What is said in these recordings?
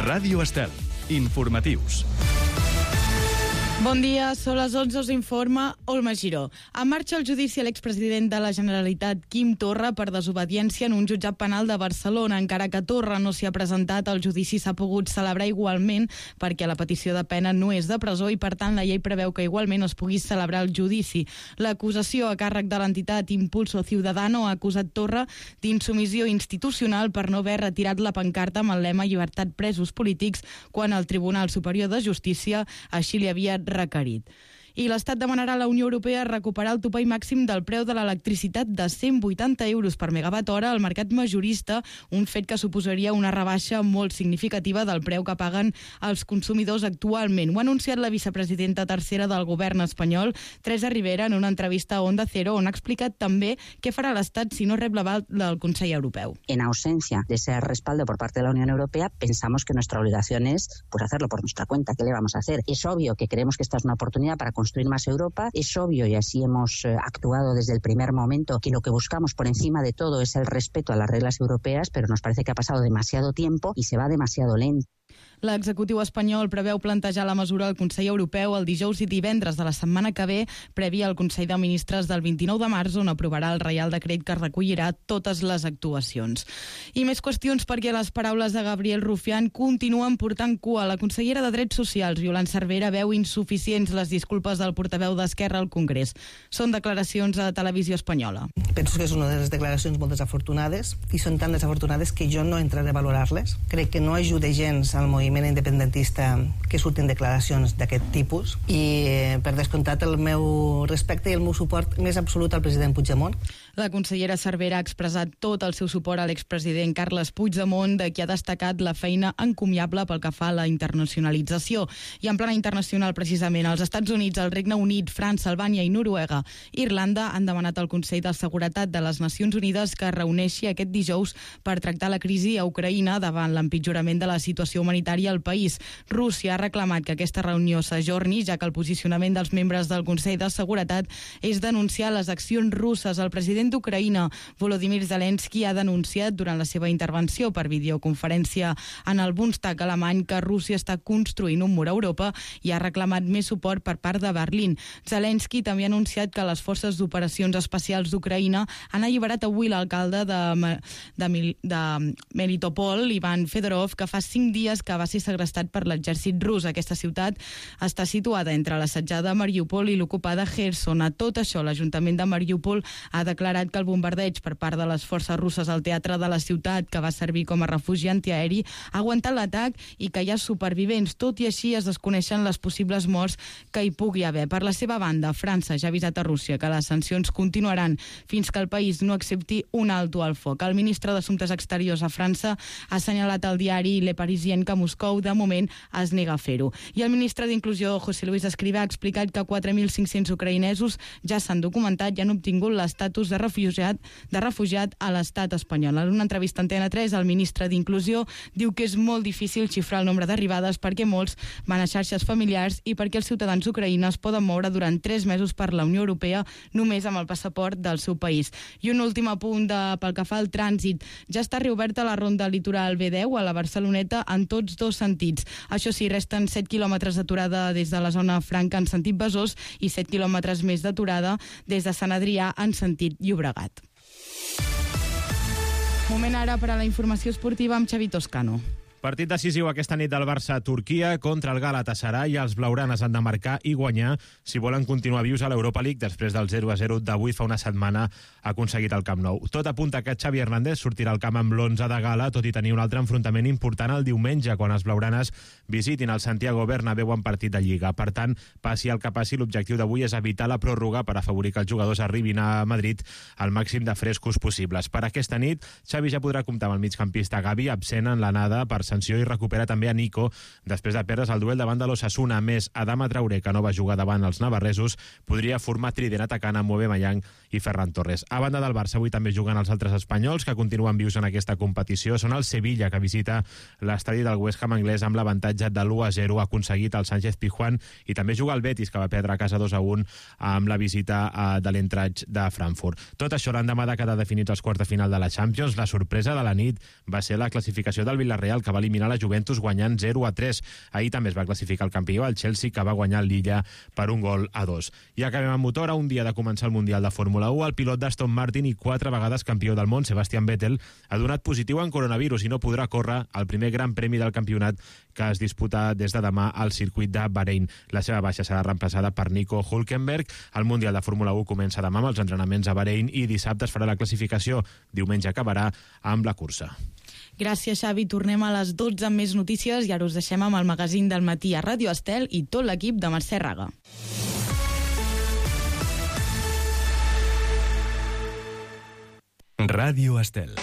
Ràdio Estel. Informatius. Bon dia, són les 11, us informa Olma Giró. En marxa el judici a l'expresident de la Generalitat, Quim Torra, per desobediència en un jutjat penal de Barcelona. Encara que Torra no s'hi ha presentat, el judici s'ha pogut celebrar igualment perquè la petició de pena no és de presó i, per tant, la llei preveu que igualment es pugui celebrar el judici. L'acusació a càrrec de l'entitat Impulso Ciudadano ha acusat Torra d'insumissió institucional per no haver retirat la pancarta amb el lema "Llibertat presos polítics" quan el Tribunal Superior de Justícia així li havia requerit. I l'Estat demanarà a la Unió Europea recuperar el topall màxim del preu de l'electricitat de 180 euros per megawatt hora al mercat majorista, un fet que suposaria una rebaixa molt significativa del preu que paguen els consumidors actualment. Ho ha anunciat la vicepresidenta tercera del govern espanyol, Teresa Ribera, en una entrevista a Onda Cero, on ha explicat també què farà l'Estat si no rep l'aval del Consell Europeu. En ausencia de ese respaldo por parte de la Unión Europea, pensamos que nuestra obligación es hacerlo por nuestra cuenta. ¿Qué le vamos a hacer? Es obvio que creemos que esta es una oportunidad para construir más Europa. Es obvio, y así hemos actuado desde el primer momento, que lo que buscamos por encima de todo es el respeto a las reglas europeas, pero nos parece que ha pasado demasiado tiempo y se va demasiado lento. L'executiu espanyol preveu plantejar la mesura al Consell Europeu el dijous i divendres de la setmana que ve, prèvia al Consell de Ministres del 29 de març, on aprovarà el Reial Decret que recollirà totes les actuacions. I més qüestions perquè les paraules de Gabriel Rufián continuen portant cua. La consellera de Drets Socials, Yolanda Cervera, veu insuficients les disculpes del portaveu d'Esquerra al Congrés. Són declaracions a Televisió Espanyola. Penso que és una de les declaracions molt desafortunades, i són tan desafortunades que jo no entraré a valorar-les. Crec que no ajuda gens al moviment independentista que surtin declaracions d'aquest tipus, i per descomptat el meu respecte i el meu suport més absolut al president Puigdemont. La consellera Cervera ha expressat tot el seu suport a l'expresident Carles Puigdemont, de qui ha destacat la feina encomiable pel que fa a la internacionalització. I en plana internacional, precisament, els Estats Units, el Regne Unit, França, Albània i Noruega, Irlanda han demanat al Consell de Seguretat de les Nacions Unides que es reuneixi aquest dijous per tractar la crisi a Ucraïna davant l'empitjorament de la situació humanitària al país. Rússia ha reclamat que aquesta reunió s'ajorni, ja que el posicionament dels membres del Consell de Seguretat és denunciar les accions russes. El president d'Ucraïna, Volodymyr Zelensky, ha denunciat durant la seva intervenció per videoconferència en el Bundestag alemany que Rússia està construint un mur a Europa i ha reclamat més suport per part de Berlín. Zelensky també ha anunciat que les forces d'operacions especials d'Ucraïna han alliberat avui l'alcalde de Melitopol, Ivan Fedorov, que fa 5 dies que va ser segrestat per l'exèrcit rus. Aquesta ciutat està situada entre l'assetjada Mariupol i l'ocupada Kherson. A tot això, l'Ajuntament de Mariupol ha declarat que el bombardeig per part de les forces russes al teatre de la ciutat, que va servir com a refugi antiaeri, ha aguantat l'atac i que hi ha supervivents. Tot i així, es desconeixen les possibles morts que hi pugui haver. Per la seva banda, França ja ha avisat a Rússia que les sancions continuaran fins que el país no accepti un alto al foc. El ministre d'Assumptes Exteriors a França ha assenyalat al diari Le Parisien que Moscou, de moment, es nega a fer-ho. I el ministre d'Inclusió, José Luis Escrivá, ha explicat que 4.500 ucraïnesos ja s'han documentat i han obtingut l'estatus de refugiat a l'estat espanyol. En una entrevista a Antena 3, el ministre d'Inclusió diu que és molt difícil xifrar el nombre d'arribades perquè molts van a xarxes familiars i perquè els ciutadans ucraïnes poden moure durant 3 mesos per la Unió Europea només amb el passaport del seu país. I un últim apunt pel que fa al trànsit. Ja està reoberta la ronda litoral B10 a la Barceloneta en tots 2 sentits. Això sí, resten 7 quilòmetres d'aturada des de la zona franca en sentit Besòs i 7 quilòmetres més d'aturada des de Sant Adrià en sentit Llobregat. Moment ara per a la informació esportiva amb Xavi Toscano. Partit decisiu aquesta nit del Barça a Turquia contra el Galatasaray. Els blaugranes han de marcar i guanyar si volen continuar vius a l'Europa League després del 0-0 d'avui fa una setmana aconseguit al Camp Nou. Tot apunta que Xavi Hernández sortirà al camp amb l'11 de gala, tot i tenir un altre enfrontament important el diumenge, quan els blaugranes visitin el Santiago Bernabéu en partit de Lliga. Per tant, passi el que passi, l'objectiu d'avui és evitar la pròrroga per afavorir que els jugadors arribin a Madrid al màxim de frescos possibles. Per aquesta nit, Xavi ja podrà comptar amb el migcampista Gavi, absent en l'anada per sanció, i recupera també a Nico després de perdre's el duel davant de l'Osasuna. Més, Adama Traoré, que no va jugar davant els navarresos, podria formar trident atacant amb Aubameyang i Ferran Torres. A banda del Barça, avui també juguen els altres espanyols que continuen vius en aquesta competició. Són el Sevilla, que visita l'estadi del West Ham anglès amb l'avantatge de l'1-0 aconseguit al Sánchez Pizjuán, i també juga el Betis, que va perdre a casa 2-1 amb la visita de l'Eintracht de Frankfurt. Tot això l'endemà de quedar definits els quarts de final de la Champions. La sorpresa de la nit va ser la classificació del Villarreal, que va va eliminar la Juventus guanyant 0-3. Ahir també es va classificar el campió, el Chelsea, que va guanyar el Lilla per 1-2. I acabem amb motor. A un dia de començar el Mundial de Fórmula 1, el pilot d'Aston Martin i 4 vegades campió del món, Sebastian Vettel, ha donat positiu en coronavirus i no podrà córrer el primer gran premi del campionat que es disputa des de demà al circuit de Bahrein. La seva baixa serà reemplaçada per Nico Hülkenberg. El Mundial de Fórmula 1 comença demà amb els entrenaments a Bahrein i dissabte es farà la classificació. Diumenge acabarà amb la cursa. Gràcies, Xavi. Tornem a les 12 amb més notícies i ara us deixem amb el magazín del matí a Ràdio Estel i tot l'equip de Mercè Raga. Ràdio Estel.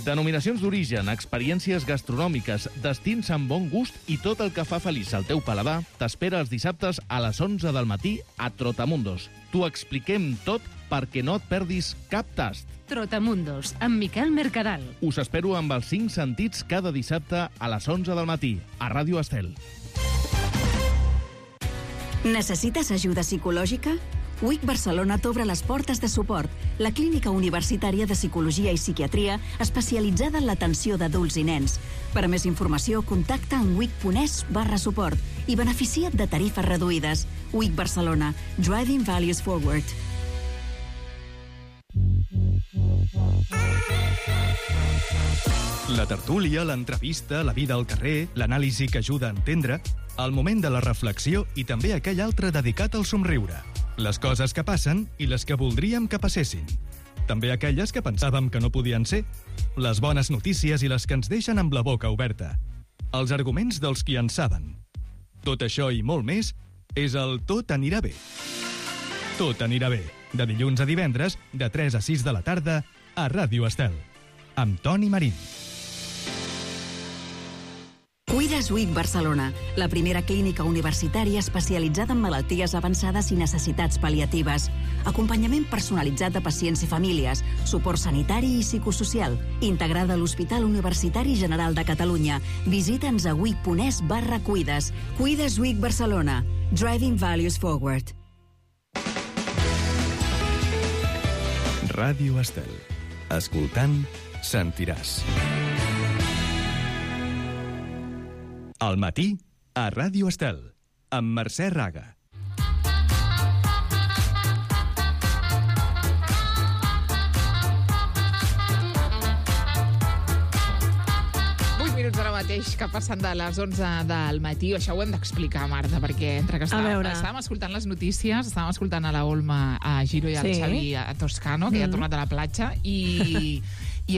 Denominacions d'origen, experiències gastronòmiques, destins amb bon gust i tot el que fa feliç al teu paladar t'espera els dissabtes a les 11 del matí a Trotamundos. T'ho expliquem tot perquè no et perdis cap tast. Trotamundos, amb Miquel Mercadal. Us espero amb els 5 sentits cada dissabte a les 11 del matí a Ràdio Estel. Necessites ajuda psicològica? WIC Barcelona t'obre les portes de suport, la clínica universitària de psicologia i psiquiatria especialitzada en l'atenció d'adults i nens. Per a més informació, contacta amb wic.es/suport i beneficia't de tarifes reduïdes. WIC Barcelona, Driving Values Forward. La tertúlia, l'entrevista, la vida al carrer, l'anàlisi que ajuda a entendre, el moment de la reflexió i també aquell altre dedicat al somriure. Les coses que passen i les que voldríem que passessin. També aquelles que pensàvem que no podien ser. Les bones notícies i les que ens deixen amb la boca oberta. Els arguments dels qui en saben. Tot això i molt més és el Tot anirà bé. Tot anirà bé. De dilluns a divendres, de 3 a 6 de la tarda, a Ràdio Estel. Amb Toni Marín. Cuides WIC Barcelona, la primera clínica universitària especialitzada en malalties avançades i necessitats pal·liatives. Acompanyament personalitzat de pacients i famílies, suport sanitari i psicosocial, integrada a l'Hospital Universitari General de Catalunya. Visita'ns a wic.es/cuides. Cuides WIC Barcelona. Driving Values Forward. Ràdio Estel. Escoltant, sentiràs. Al matí, a Ràdio Estel, amb Mercè Raga. Ara mateix que passen de les 11 del matí. Això ho hem d'explicar, Marta, perquè entre que estàvem escoltant les notícies, estàvem escoltant a la Olma, a Giro i al Xavi a Toscano, que ja ha tornat a la platja, i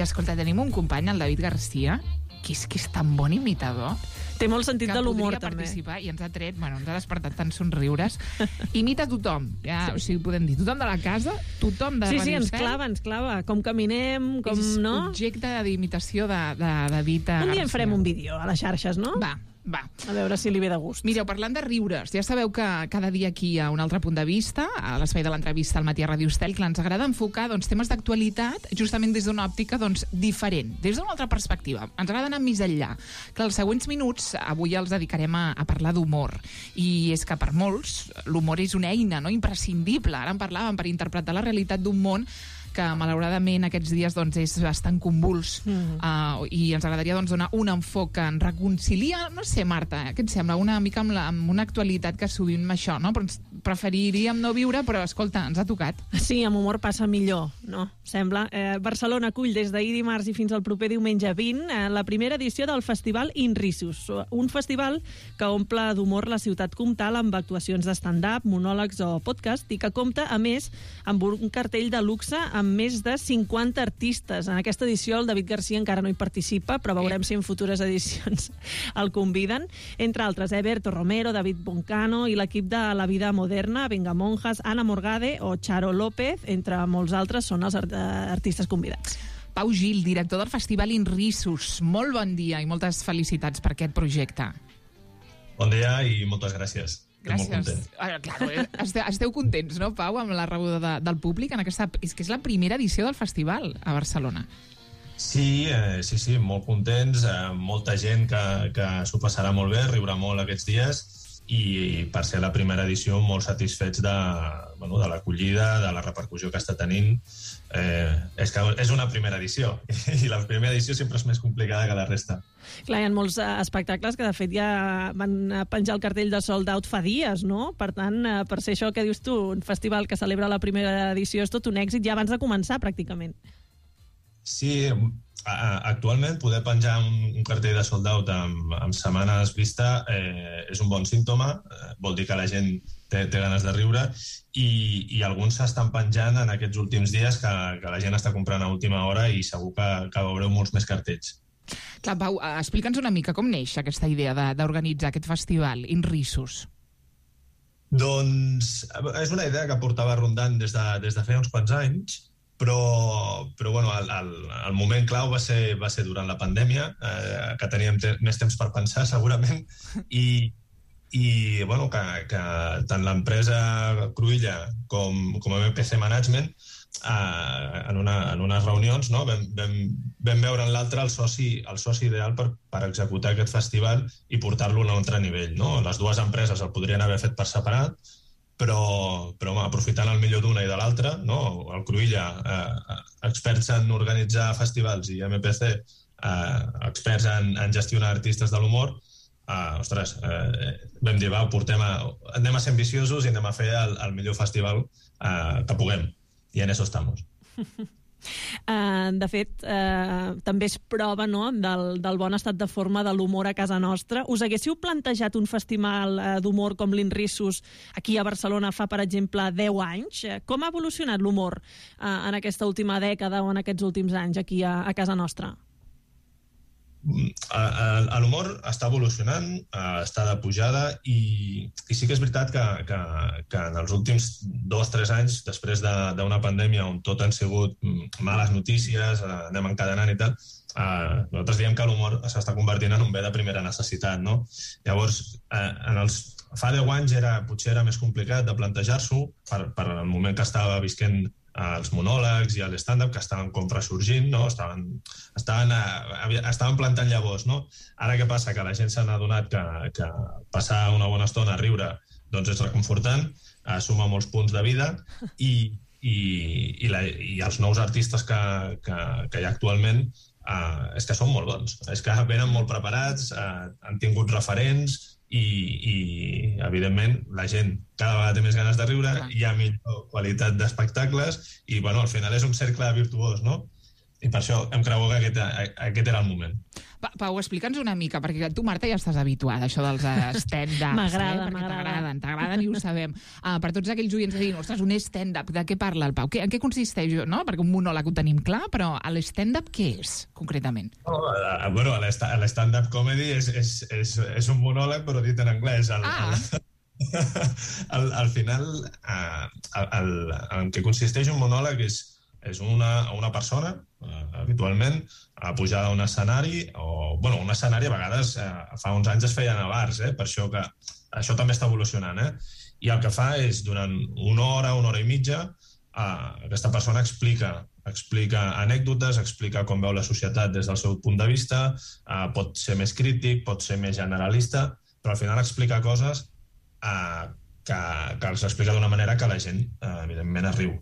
escolta, tenim un company, el David Garcia, que és tan bon imitador. Té molt sentit de l'humor, també. Que podria participar i ens ha tret, ens ha despertat tants somriures. Imita tothom, ja, o sigui, podem dir, tothom de la casa, tothom de Ràdio Estel. Ens clava. Com caminem, com no... És objecte d'imitació de David Garcia. Un dia en farem un vídeo a les xarxes, no? Va. A veure si li ve de gust. Mireu, parlant de riures, ja sabeu que cada dia aquí hi ha un altre punt de vista, a l'espai de l'entrevista al matí a Ràdio Estel, que ens agrada enfocar temes d'actualitat justament des d'una òptica diferent, des d'una altra perspectiva. Ens agrada anar més enllà. Que els següents minuts avui els dedicarem a parlar d'humor. I és que per molts l'humor és una eina imprescindible. Ara en parlàvem per interpretar la realitat d'un món que malauradament aquests dies és bastant convuls i ens agradaria donar un enfoc que ens reconcilia, no sé, Marta, què et sembla? Una mica amb una actualitat que sovint amb això, no? Però ens preferiríem no viure, però escolta, ens ha tocat. Sí, amb humor passa millor, no? Sembla. Barcelona acull des d'ahir dimarts i fins al proper diumenge 20 la primera edició del Festival Inrisus, un festival que omple d'humor la ciutat comtal amb actuacions de stand-up, monòlegs o podcast i que compta, a més, amb un cartell de luxe amb més de 50 artistes. En aquesta edició el David Garcia encara no hi participa, però veurem si en futures edicions el conviden. Entre altres, Berto Romero, David Boncano i l'equip de La Vida Moderna, Venga Monjas, Ana Morgade o Charo López, entre molts altres, són els artistes convidats. Pau Gil, director del Festival Inrisus. Molt bon dia i moltes felicitats per aquest projecte. Bon dia i moltes gràcies. Gràcies. Claro, esteu contents, no, Pau, amb la rebuda del públic en aquesta... És que és la primera edició del festival a Barcelona. Sí, molt contents, molta gent que s'ho passarà molt bé, riurà molt aquests dies i per ser la primera edició molt satisfets de l'acollida, de la repercussió que està tenint. És que és una primera edició i la primera edició sempre és més complicada que la resta. Clar, hi ha molts espectacles que de fet ja van penjar el cartell de sold out fa dies, no? Per tant, per ser això que dius tu, un festival que celebra la primera edició és tot un èxit ja abans de començar pràcticament. Sí, actualment poder penjar un cartell de sold out amb setmanes vista és un bon símptoma, vol dir que la gent té ganes de riure i alguns s'estan penjant en aquests últims dies que la gent està comprant a última hora i segur que veureu molts més cartells. Clar, Pau, explica'ns una mica com neix aquesta idea d'organitzar aquest festival, Inrissus. Doncs és una idea que portava rondant des de feia uns quants anys, però bueno, el moment clau va ser durant la pandèmia, que teníem més temps per pensar segurament, i bueno, que tant l'empresa Cruïlla com MPC Management en unes reunions, no, vam veure en l'altre el soci ideal per executar aquest festival i portar-lo a un altre nivell, no? Les dues empreses el podrien haver fet per separat, però aprofitant el millor d'una i de l'altra, no? El Cruïlla, experts en organitzar festivals, i MPC, experts en gestionar artistes de l'humor, vam dir, anem a ser ambiciosos i anem a fer el millor festival que puguem, i en eso estamos. De fet, també és prova, no?, del bon estat de forma de l'humor a casa nostra. Us haguéssiu plantejat un festival d'humor com l'Inrissus aquí a Barcelona fa, per exemple, 10 anys? Com ha evolucionat l'humor en aquesta última dècada o en aquests últims anys aquí a casa nostra? L'humor està evolucionant, està de pujada i sí que és veritat que en els últims 2-3 anys, després d'una pandèmia on tot han sigut males notícies, anem encadenant i tal, nosaltres diem que l'humor s'està convertint en un bé de primera necessitat, no? Llavors, fa 10 anys potser era més complicat de plantejar-s'ho per el moment que estava visquent els monòlegs i l'stand-up, que estaven com ressorgint, no? Estaven plantant llavors, no? Ara què passa? Que la gent s'ha adonat que passar una bona estona a riure doncs és reconfortant, suma molts punts de vida i els nous artistes que hi ha actualment és que són molt bons, és que venen molt preparats, han tingut referents i evidentment la gent cada vegada té més ganes de riure, hi ha millor qualitat d'espectacles i bueno, al final és un cercle virtuós, no? I per això em creu que aquest era el moment. Pau, explica'ns una mica, perquè tu, Marta, ja estàs habituada a això dels stand-ups. T'agraden i ho sabem. Per tots aquells oients que diuen, ostres, un stand-up, de què parla el Pau? En què consisteix? No? Perquè un monòleg ho tenim clar, però l'stand-up què és, concretament? Bueno, l'stand-up comedy és un monòleg, però dit en anglès. Al final, en què consisteix un monòleg és una persona, habitualment, pujada a un escenari, o, bueno, un escenari a vegades, fa uns anys es feien a bars, per això que això també està evolucionant, i el que fa és, durant una hora i mitja, aquesta persona explica anècdotes, explica com veu la societat des del seu punt de vista, pot ser més crític, pot ser més generalista, però al final explica coses que els explica d'una manera que la gent, evidentment, es riu.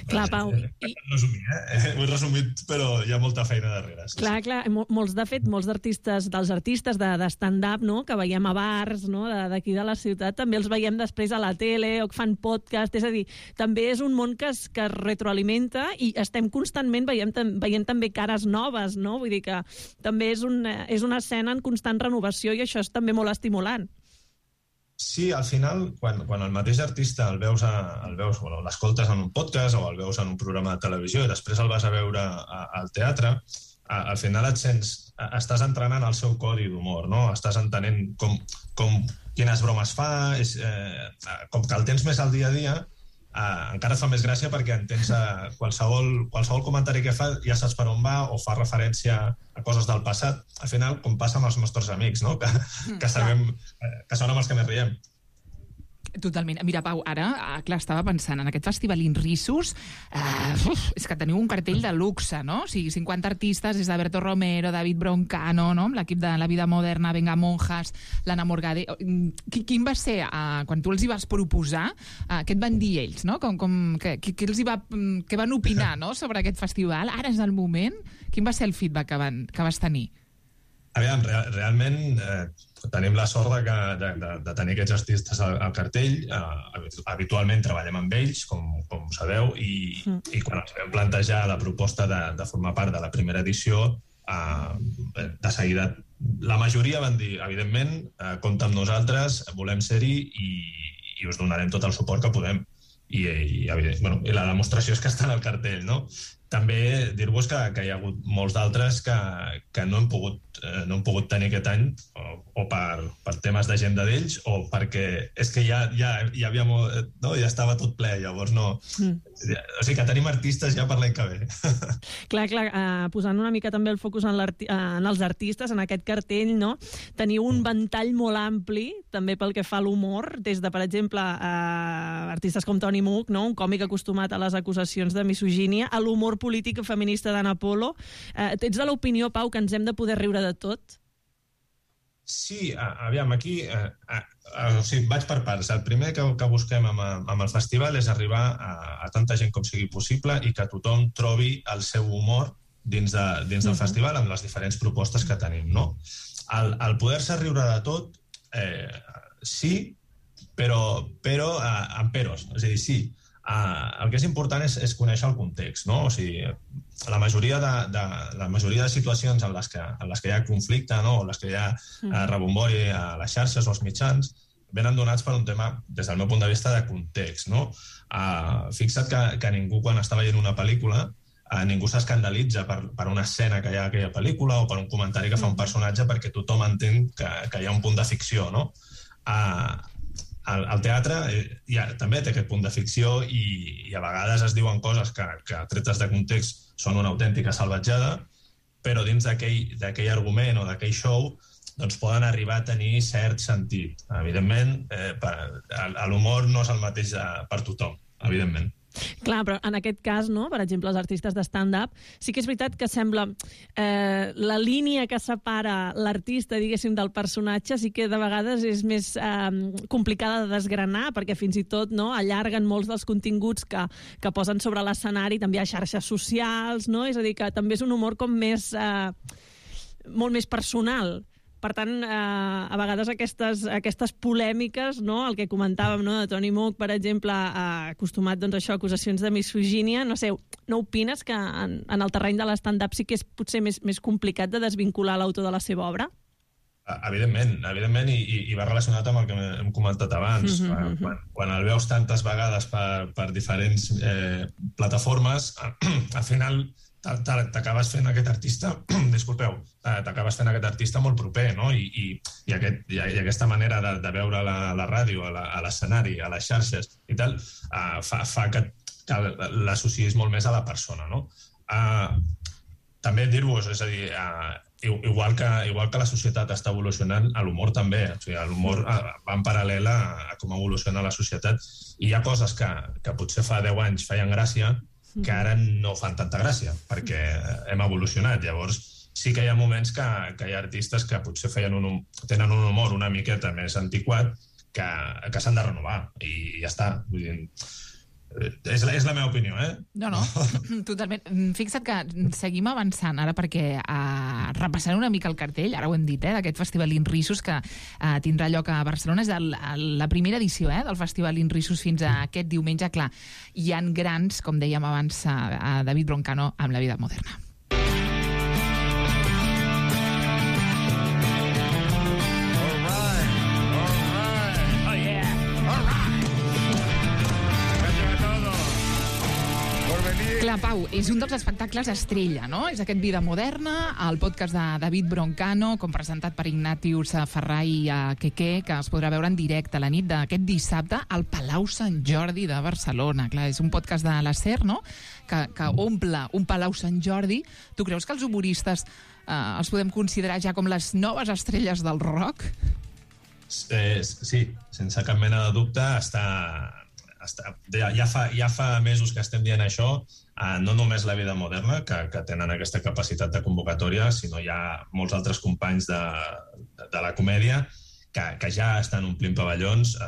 Clar, Pau. Ho he resumit, però hi ha molta feina darrere. Clar. Molts d'artistes, dels artistes de stand-up, no?, que veiem a bars, no?, d'aquí de la ciutat, també els veiem després a la tele o que fan podcast, és a dir, també és un món que es retroalimenta i estem constantment veient també cares noves, no? Vull dir que també és una escena en constant renovació i això és també molt estimulant. Sí, al final, quan el mateix artista el veus, l'escoltes en un podcast o el veus en un programa de televisió i després el vas a veure al teatre, al final estàs entrenant el seu codi d'humor, no? Estàs entenent quines bromes fa, com que el tens més al dia a dia, encara et fa més gràcia perquè entens qualsevol comentari que fa ja saps per on va o fa referència a coses del passat. Al final, com passa amb els nostres amics, no? Que sabem que són amb els que més riem. Totalment. Mira, Pau, ara, clar, estava pensant en aquest festival Inrissus, és que teniu un cartell de luxe, no? O sigui, 50 artistes, des d'Alberto Romero, David Broncano, no? Amb l'equip de La Vida Moderna, Venga Monjas, l'Anna Morgade. Quin va ser, quan tu els hi vas proposar, què et van dir ells, no? Què van opinar, no?, sobre aquest festival? Ara és el moment. Quin va ser el feedback que vas tenir? Aviam, realment tenim la sort de tenir aquests artistes al cartell. Habitualment treballem amb ells, com sabeu, i quan ens vam plantejar la proposta de formar part de la primera edició, de seguida la majoria van dir, evidentment, compta amb nosaltres, volem ser-hi i us donarem tot el suport que podem. I la demostració és que estan al cartell, no? També dir-vos que hi ha hagut molts d'altres que no hem pogut tenir aquest any o per temes d'agenda d'ells o perquè és que ja havia molt, no? Ja estava tot ple, llavors no. O sigui que tenim artistes ja per l'any que ve. Clar, posant una mica també el focus en els artistes, en aquest cartell, no? Teniu un ventall molt ampli, també pel que fa a l'humor, des de, per exemple, artistes com Tony Mook, no? Un còmic acostumat a les acusacions de misogínia, a l'humor polític feminista d'Anna Polo. Ets de l'opinió, Pau, que ens hem de poder riure de tot? Sí, aviam, aquí vaig per parts. El primer que busquem amb el festival és arribar a tanta gent com sigui possible i que tothom trobi el seu humor dins del festival amb les diferents propostes que tenim, no? El poder-se riure de tot, sí, però amb peros. És a dir, sí, el que és important és conèixer el context, no? O sigui, la majoria de situacions en les que hi ha conflicte, no? O les que hi ha rebombori a les xarxes o als mitjans venen donats per un tema, des del meu punt de vista, de context, no? Fixa't que ningú, quan està veient una pel·lícula, ningú s'escandalitza per una escena que hi ha a aquella pel·lícula o per un comentari que fa un personatge perquè tothom entén que hi ha un punt de ficció, no? El teatre també té aquest punt de ficció i a vegades es diuen coses que tretes de context són una autèntica salvatjada, però dins d'aquell argument o d'aquell show doncs poden arribar a tenir cert sentit. Evidentment, l'humor no és el mateix per tothom, evidentment. Clar, però en aquest cas, no? Per exemple, els artistes de stand-up, sí que és veritat que sembla la línia que separa l'artista, diguéssim, del personatge, sí que de vegades és més complicada de desgranar, perquè fins i tot allarguen molts dels continguts que posen sobre l'escenari, també a xarxes socials, no? És a dir, que també és un humor com més molt més personal. Per tant, a vegades aquestes polèmiques, no? El que comentàvem, no? De Tony Mook, per exemple, acostumat a acusacions de misogínia, no sé, no opines que en el terreny de l'stand-up sí que és potser més complicat de desvincular l'autor de la seva obra? Evidentment, i va relacionat amb el que hem comentat abans. Quan el veus tantes vegades per diferents plataformes, al final t'acabes fent aquest artista, t'acabes fent aquest artista molt proper, no? I aquesta manera de veure la ràdio, a l'escenari, a les xarxes i tal, fa que l'associïs molt més a la persona, no? També dir-vos, és a dir, igual que la societat està evolucionant, l'humor també. O sigui, l'humor va en paral·lel a com evoluciona la societat. I hi ha coses que potser fa 10 anys feien gràcia, que ara no fan tanta gràcia, perquè hem evolucionat. Llavors, sí que hi ha moments que hi ha artistes que potser tenen un humor una miqueta més antiquat que s'han de renovar, i ja està. Vull dir, és la meva opinió, No, totalment. Fixa't que seguim avançant ara perquè repassant una mica el cartell, ara ho hem dit, d'aquest Festival Inrissus que tindrà lloc a Barcelona. És la primera edició del Festival Inrissus fins a aquest diumenge. Clar, hi han grans, com dèiem abans, a David Broncano amb La Vida Moderna. Clar, Pau, és un dels espectacles estrella, no? És aquest Vida Moderna, el podcast de David Broncano, com presentat per Ignatius Ferrà i Quequé, que es podrà veure en directe a la nit d'aquest dissabte al Palau Sant Jordi de Barcelona. Clar, és un podcast de la SER, no?, que omple un Palau Sant Jordi. Tu creus que els humoristes els podem considerar ja com les noves estrelles del rock? Sí, sense cap mena de dubte, ja fa mesos que estem dient això, no només la Vida Moderna, que tenen aquesta capacitat de convocatòria, sinó hi ha molts altres companys de la comèdia que ja estan omplint pavellons,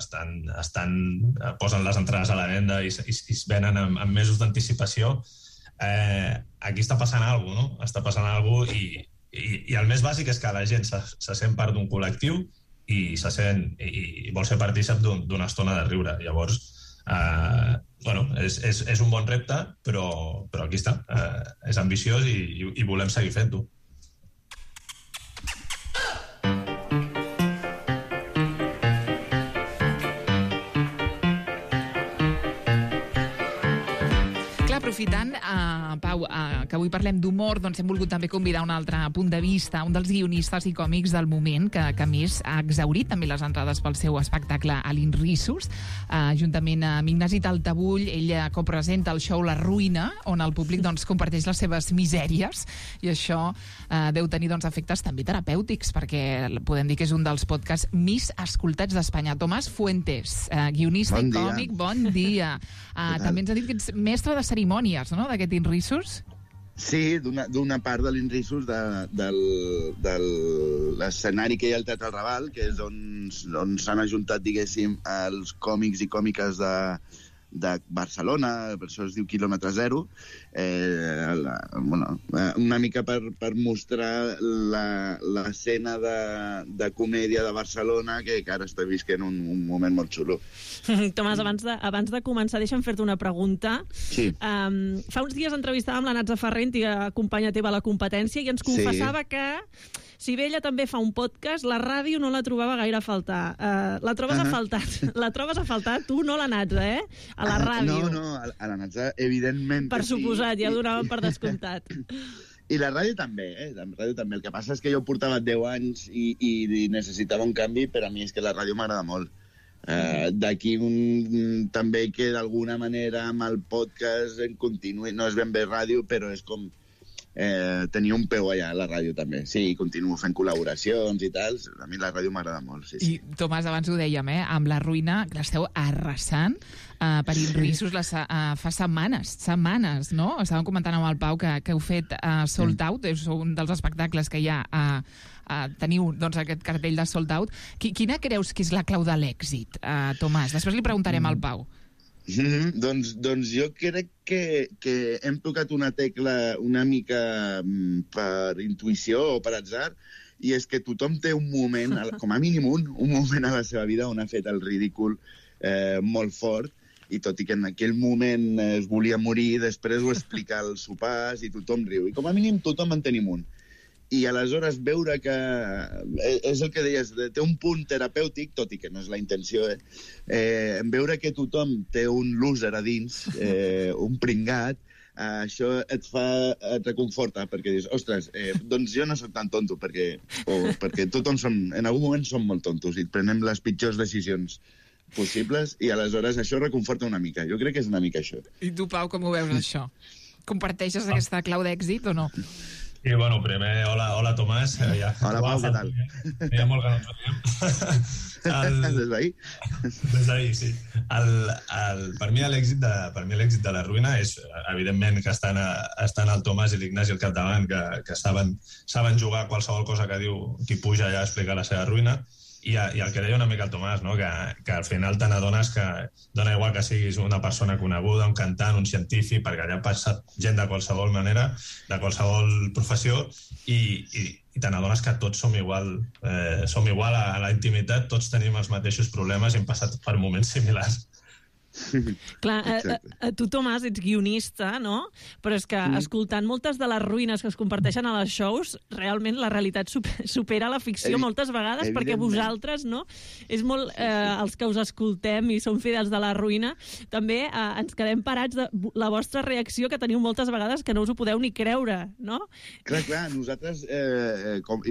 posen les entrades a la venda i es venen amb mesos d'anticipació. Aquí està passant alguna cosa, no? Està passant alguna cosa i el més bàsic és que la gent se sent part d'un col·lectiu i vol ser partícip d'una estona de riure. Llavors, és un bon repte, però aquí està. És ambiciós i volem seguir fent-ho. Aprofitant, Pau, que avui parlem d'humor, doncs hem volgut també convidar un altre punt de vista, un dels guionistes i còmics del moment, que més ha exhaurit també les entrades pel seu espectacle a l'Inrissos, juntament amb Ignasi Taltabull. Ell copresenta el show La Ruïna, on el públic doncs, comparteix les seves misèries, i això deu tenir efectes també terapèutics, perquè podem dir que és un dels podcasts més escoltats d'Espanya. Tomàs Fuentes, guionista i còmic, bon dia. També ens ha dit que ets mestre de cerimònies, no?, d'aquest Inrissos. Sí, d'una part de l'Inrissos, de l'escenari que hi ha al Teatre Raval, que és on s'han ajuntat, diguéssim, els còmics i còmiques de Barcelona, per això es diu Quilòmetre Zero, una mica per mostrar l'escena de comèdia de Barcelona, que ara estic visquent un moment molt xulo. Tomàs, abans de començar, deixa'm fer-te una pregunta. Sí. Fa uns dies entrevistàvem la Natza Ferrer, antiga companya teva a La Competència, i ens confessava que, si bé ella també fa un podcast, la ràdio no la trobava gaire a faltar. La trobes a faltar? La trobes a faltar? Tu no, la Natza, a la ràdio. No, a la Natza, evidentment. Per suposat, ja donàvem per descomptat. I la ràdio també, La ràdio també. El que passa és que jo portava 10 anys i necessitava un canvi, però a mi és que la ràdio m'agrada molt. D'aquí també que d'alguna manera amb el podcast en continuï, no és ben bé ràdio, però és com tenir un peu allà a la ràdio també. Sí, continuo fent col·laboracions i tal. A mi la ràdio m'agrada molt, sí. I, Tomàs, abans ho dèiem, amb La Ruïna, l'esteu arrasant per Inrissos fa setmanes, no? Estàvem comentant amb el Pau que heu fet Sold Out, és un dels espectacles que hi ha teniu aquest cartell de Sold Out. Quina creus que és la clau de l'èxit, Tomàs? Després li preguntarem al Pau. Doncs jo crec que hem tocat una tecla una mica per intuïció o per atzar, i és que tothom té un moment, com a mínim un moment a la seva vida on ha fet el ridícul molt fort, i tot i que en aquell moment es volia morir, després ho explica als sopars i tothom riu. I com a mínim tothom en tenim un. I aleshores veure que, és el que deies, té un punt terapèutic, tot i que no és la intenció, veure que tothom té un loser a dins, un pringat, això et reconforta, perquè dius, ostres, doncs jo no soc tan tonto, perquè tothom en algun moment som molt tontos i prenem les pitjors decisions possibles, i aleshores això reconforta una mica. Jo crec que és una mica això. I tu, Pau, com ho veus, això? Comparteixes aquesta clau d'èxit o no? Sí, bueno, primer, hola Tomàs. Hola, Pau, què tal? Hi ha molt que no ens veiem. Des d'ahir? Des d'ahir, sí. Per mi l'èxit de La Ruïna és, evidentment, que estan el Tomàs i l'Ignasi al capdavant, que saben jugar qualsevol cosa que diu qui puja allà a explicar la seva ruïna. I el que deia una mica el Tomàs, no? Que al final te n'adones que dona igual que siguis una persona coneguda, un cantant, un científic, perquè allà passa gent de qualsevol manera, de qualsevol professió, i te n'adones que tots som igual a la intimitat, tots tenim els mateixos problemes i hem passat per moments similars. Clar, tu, Tomàs, ets guionista, no? Però és que, escoltant moltes de les ruïnes que es comparteixen a les shows, realment la realitat supera la ficció moltes vegades, perquè vosaltres, no? És molt... els que us escoltem i som fidels de La Ruïna, també ens quedem parats de la vostra reacció, que teniu moltes vegades que no us ho podeu ni creure, no? Clar, nosaltres,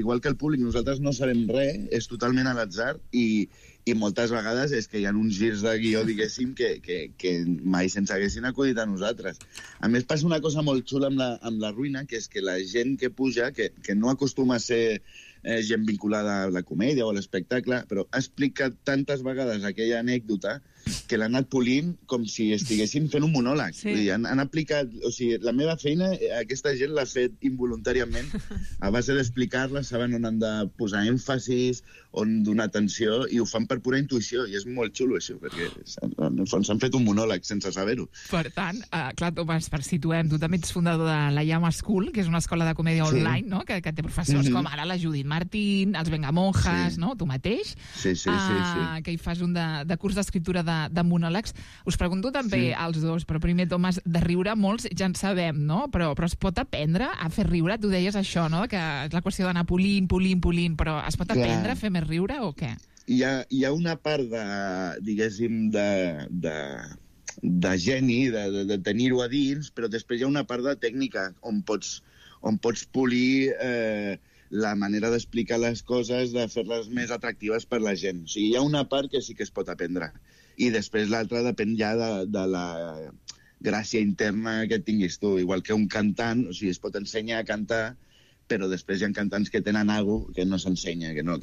igual que el públic, nosaltres no sabem res, és totalment a l'atzar, i moltes vegades és que hi ha uns girs de guió, diguéssim, que mai se'ns haguessin acudit a nosaltres. A més, passa una cosa molt xula amb la Ruïna, que és que la gent que puja, que no acostuma a ser gent vinculada a la comèdia o a l'espectacle, però ha explicat tantes vegades aquella anècdota que l'ha anat polint com si estiguessin fent un monòleg. Sí. Vull dir, han aplicat... O sigui, la meva feina, aquesta gent l'ha fet involuntàriament a base d'explicar-la, saben on han de posar èmfasis, on donar atenció, i ho fan per pura intuïció, i és molt xulo, això, perquè en el fons s'han fet un monòleg sense saber-ho. Per tant, clar, Tomàs, per situem, tu també ets fundador de la Llama School, que és una escola de comèdia online, no? Que té professors com ara la Judit Martín, els Vengamonjas, no? Tu mateix, sí. que hi fas un de curs d'escriptura de monòlegs. Us pregunto també als dos, però primer, Tomàs, de riure molts ja en sabem, no? Però es pot aprendre a fer riure? Tu deies això, no? Que és la qüestió d'anar polint, però es pot aprendre a fer més riure o què? Hi ha una part de, diguéssim, de geni, de tenir-ho a dins, però després hi ha una part de tècnica on pots polir la manera d'explicar les coses, de fer-les més atractives per la gent. O sigui, hi ha una part que sí que es pot aprendre. I després l'altra depèn ja de la gràcia interna que tinguis tu. Igual que un cantant, o sigui, es pot ensenyar a cantar, però després hi ha cantants que tenen alguna que no s'ensenya, que no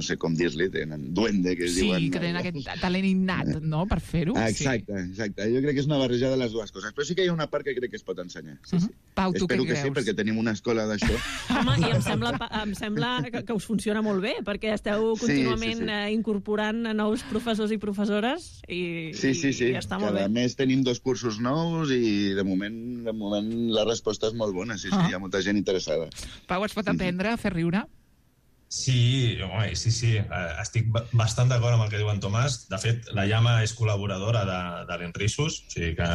sé com dir-li, tenen duende, que diuen... Sí, que tenen aquest talent innat, no?, per fer-ho. Exacte. Jo crec que és una barreja de les dues coses, però sí que hi ha una part que crec que es pot ensenyar. Sí. Pau, tu espero què que sí, perquè tenim una escola d'això. Home, i em sembla que us funciona molt bé, perquè esteu contínuament incorporant nous professors i professores i està molt bé. Cada mes tenim 2 cursos nous i de moment la resposta és molt bona, sí, hi ha molta gent interessada. Pau, es pot aprendre a fer riure? Sí. Estic bastant d'acord amb el que diu en Tomàs. De fet, la Llama és col·laboradora de l'Inrisus, o sigui que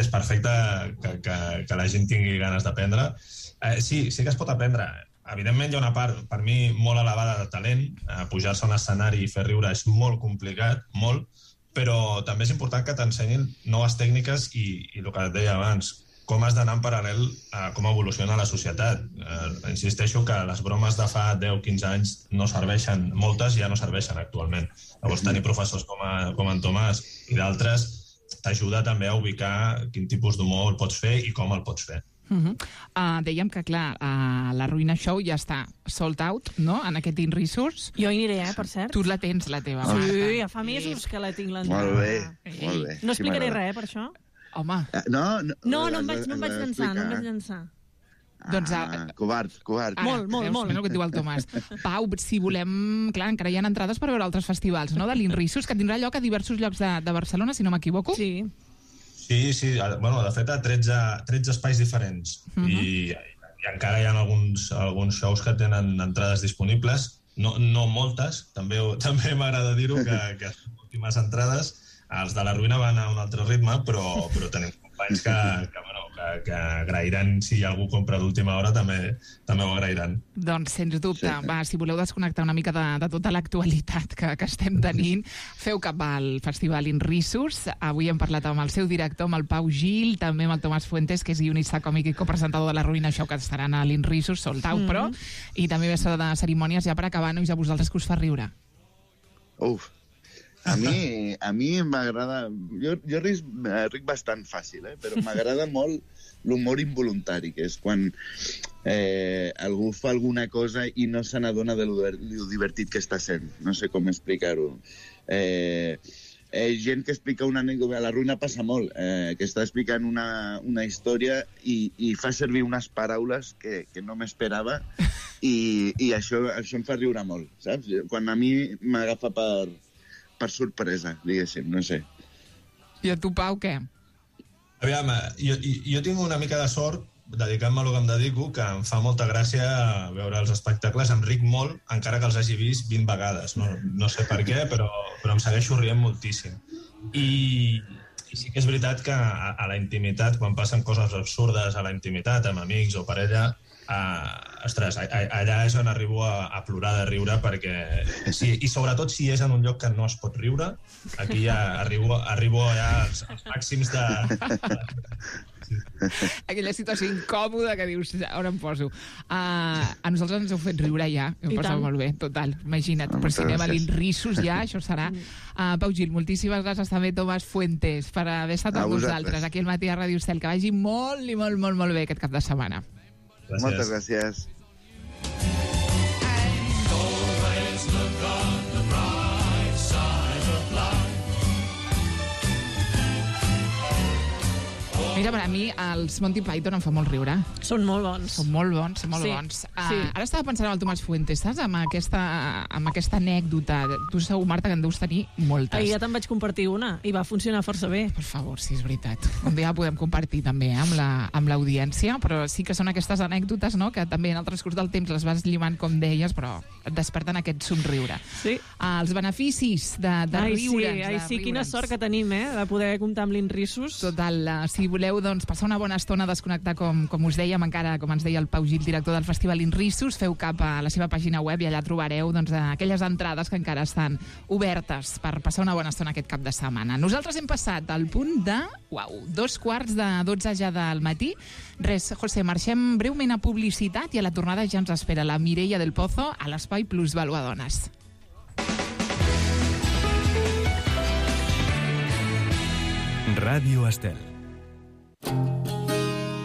és perfecte que la gent tingui ganes d'aprendre. Sí que es pot aprendre. Evidentment hi ha una part, per mi, molt elevada de talent. Pujar-se a un escenari i fer riure és molt complicat, molt, però també és important que t'ensenyin noves tècniques i el que et deia abans, com has d'anar en paral·lel a com evoluciona la societat. Insisteixo que les bromes de fa 10-15 anys no serveixen, moltes ja no serveixen actualment. Llavors, tenir professors com en Tomàs i d'altres t'ajuda també a ubicar quin tipus d'humor pots fer i com el pots fer. Dèiem que, clar, la Ruïna Show ja està sold out, no?, en aquest InResource. Jo hi aniré, per cert. Tu la tens, la teva. Sí, ja fa mesos que la tinc l'entrada. Molt bé. No explicaré res, per això? Home. No em vaig llançar. Doncs... Covard. Molt. El que et diu el Tomàs. Pau, si volem... Clar, encara hi ha entrades per veure altres festivals, no?, de l'InResource, que tindrà lloc a diversos llocs de Barcelona, si no m'equivoco. Sí. Sí. Bueno, de fet, a 13 espais diferents. I encara hi ha alguns shows que tenen entrades disponibles. No moltes, també m'agrada dir-ho, que són últimes entrades. Els de la Ruïna van a un altre ritme, però tenim companys que agrairan, si algú compra d'última hora, també ho agrairan. Doncs, sens dubte. Va, si voleu desconnectar una mica de tota l'actualitat que estem tenint, feu cap al Festival InResource. Avui hem parlat amb el seu director, amb el Pau Gil, també amb el Tomàs Fuentes, que és guionista còmic i copresentador de la Ruïna Show, que estaran a l'InResource, sold out, però, i també mestre de cerimònies, ja per acabar, nois, a vosaltres que us fa riure. A mi m'agrada... Jo ric bastant fàcil, però m'agrada molt l'humor involuntari, que és quan algú fa alguna cosa i no se n'adona de lo divertit que està sent. No sé com explicar-ho. Gent que explica una anècdota, a la Ruïna passa molt, que està explicant una història i fa servir unes paraules que no m'esperava i això em fa riure molt, saps? Quan a mi m'agafa per sorpresa, diguéssim, no sé. I a tu, Pau, què? Aviam, jo tinc una mica de sort, dedicant-me a lo que em dedico, que em fa molta gràcia veure els espectacles, em ric molt, encara que els hagi vist 20 vegades. No sé per què, però em segueixo rient moltíssim. I sí que és veritat que a la intimitat, quan passen coses absurdes a la intimitat, amb amics o parella, ostres, allà és on arribo a plorar de riure, perquè i sobretot si és en un lloc que no es pot riure, aquí ja arribo allà als màxims de... Aquella situació incòmoda que dius, on em poso? A nosaltres ens heu fet riure ja, ho passava molt bé, total, imagina't, però si anem a l'InResource ja, això serà. Pau Gil, moltíssimes gràcies també, Tomàs Fuentes, per haver estat amb nosaltres aquí al Matí a Ràdio Estel, que vagi molt i molt bé aquest cap de setmana. Moltes gràcies. Mira, per a mi els Monty Python em fa molt riure. Són molt bons. Són molt bons, són molt bons. Ara estava pensant en el Tomàs Fuentes, saps? Amb aquesta anècdota. Tu segur, Marta, que en deus tenir moltes. Ahir ja te'n vaig compartir una i va funcionar força bé. Per favor, sí, és veritat. Un dia la podem compartir també amb l'audiència, però sí que són aquestes anècdotes, no?, que també en el transcurs del temps les vas llimant, com deies, però et desperten aquest somriure. Sí. Els beneficis de riure'ns. Sí, quina sort que tenim, de poder comptar amb l'Inrissus. Total, si voleu passar una bona estona a desconnectar, com us dèiem, encara, com ens deia el Pau Gil, director del Festival Inrissus, feu cap a la seva pàgina web i allà trobareu aquelles entrades que encara estan obertes per passar una bona estona aquest cap de setmana. Nosaltres hem passat al punt de 2:45 ja del matí. Res, José, marxem breument a publicitat i a la tornada ja ens espera la Mireia del Pozo a l'Espai Plusvaluadones. Ràdio Estel.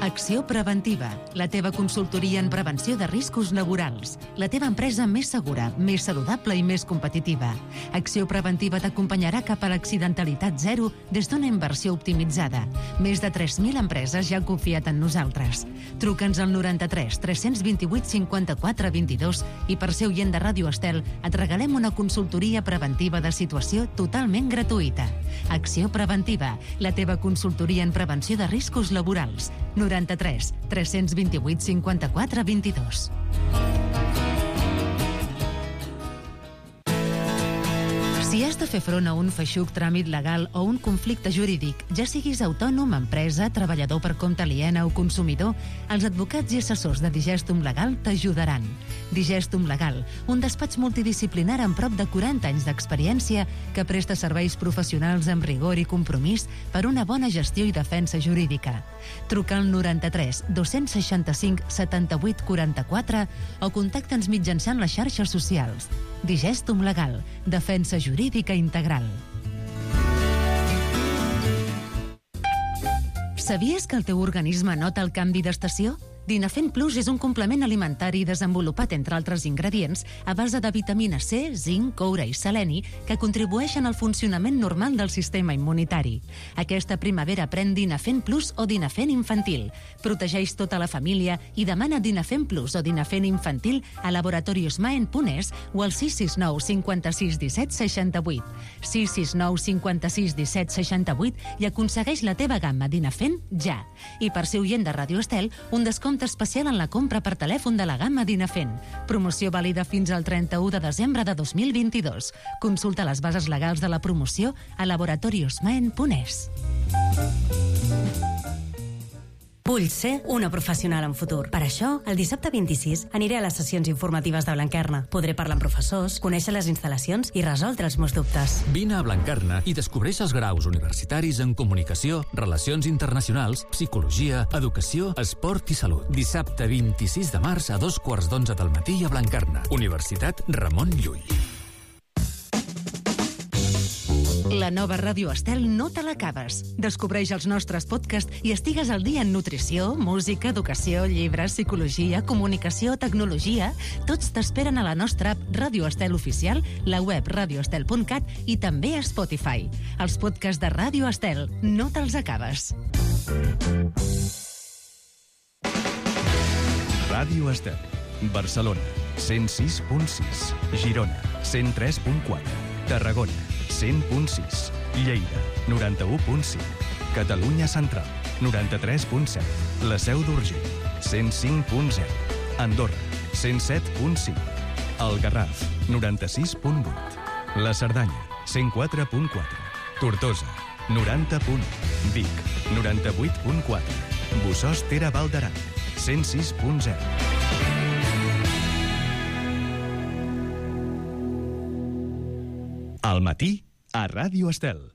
Acció Preventiva, la teva consultoria en prevenció de riscos laborals. La teva empresa més segura, més saludable i més competitiva. Acció Preventiva t'acompanyarà cap a l'accidentalitat zero des d'una inversió optimitzada. Més de 3.000 empreses ja han confiat en nosaltres. Truca'ns al 93 328 54 22 i per ser oient de Ràdio Estel et regalem una consultoria preventiva de situació totalment gratuïta. Acció Preventiva, la teva consultoria en prevenció de riscos laborals. 93 328 54 22. Si has de fer front a un feixuc tràmit legal o un conflicte jurídic, ja siguis autònom, empresa, treballador per compte aliena o consumidor, els advocats i assessors de Digestum Legal t'ajudaran. Digestum Legal, un despatx multidisciplinar amb prop de 40 anys d'experiència que presta serveis professionals amb rigor i compromís per una bona gestió i defensa jurídica. Truca al 93 265 78 44 o contacta'ns mitjançant les xarxes socials. Digestum Legal, defensa jurídica integral. Sabies que el teu organisme nota el canvi d'estació? Dinafent Plus és un complement alimentari desenvolupat, entre altres ingredients, a base de vitamina C, zinc, coure i seleni, que contribueixen al funcionament normal del sistema immunitari. Aquesta primavera pren Dinafent Plus o Dinafent Infantil. Protegeix tota la família i demana Dinafent Plus o Dinafent Infantil a laboratoriosmaen.es o al 669 56 17 68. 669 56 17 68 i aconsegueix la teva gamma Dinafent ja. I per ser oient de Ràdio Estel, un descompte especial en la compra per telèfon de la gamma Dinafent. Promoció vàlida fins al 31 de desembre de 2022. Consulta les bases legals de la promoció a laboratoriosmaen.es. Vull ser una professional en futur. Per això, el dissabte 26 aniré a les sessions informatives de Blanquerna. Podré parlar amb professors, conèixer les instal·lacions i resoldre els meus dubtes. Vine a Blanquerna i descobreix els graus universitaris en comunicació, relacions internacionals, psicologia, educació, esport i salut. Dissabte 26 de març a 2:15 del matí a Blanquerna. Universitat Ramon Llull. La nova Ràdio Estel no te l'acabes. Descobreix els nostres podcasts i estigues al dia en nutrició, música, educació, llibres, psicologia, comunicació, tecnologia. Tots t'esperen a la nostra app Ràdio Estel Oficial, la web radioestel.cat i també a Spotify. Els podcasts de Ràdio Estel no te'ls acabes. Ràdio Estel. Barcelona, 106.6. Girona, 103.4. Tarragona, 100.6. Lleida, 91.5. Catalunya Central, 93.7. La Seu d'Urgell, 105.0. Andorra, 107.5. El Garraf, 96.8. La Cerdanya, 104.4. Tortosa, 90.1. Vic, 98.4. Bossòst Tere Val d'Aran, 106.0. Al matí, a Ràdio Estel.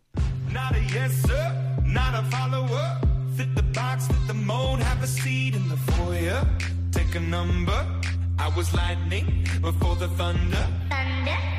Not a yes, sir, not a follower. Fit the box, fit the mold, have a seat in the foyer. Take a number, I was lightning before the thunder.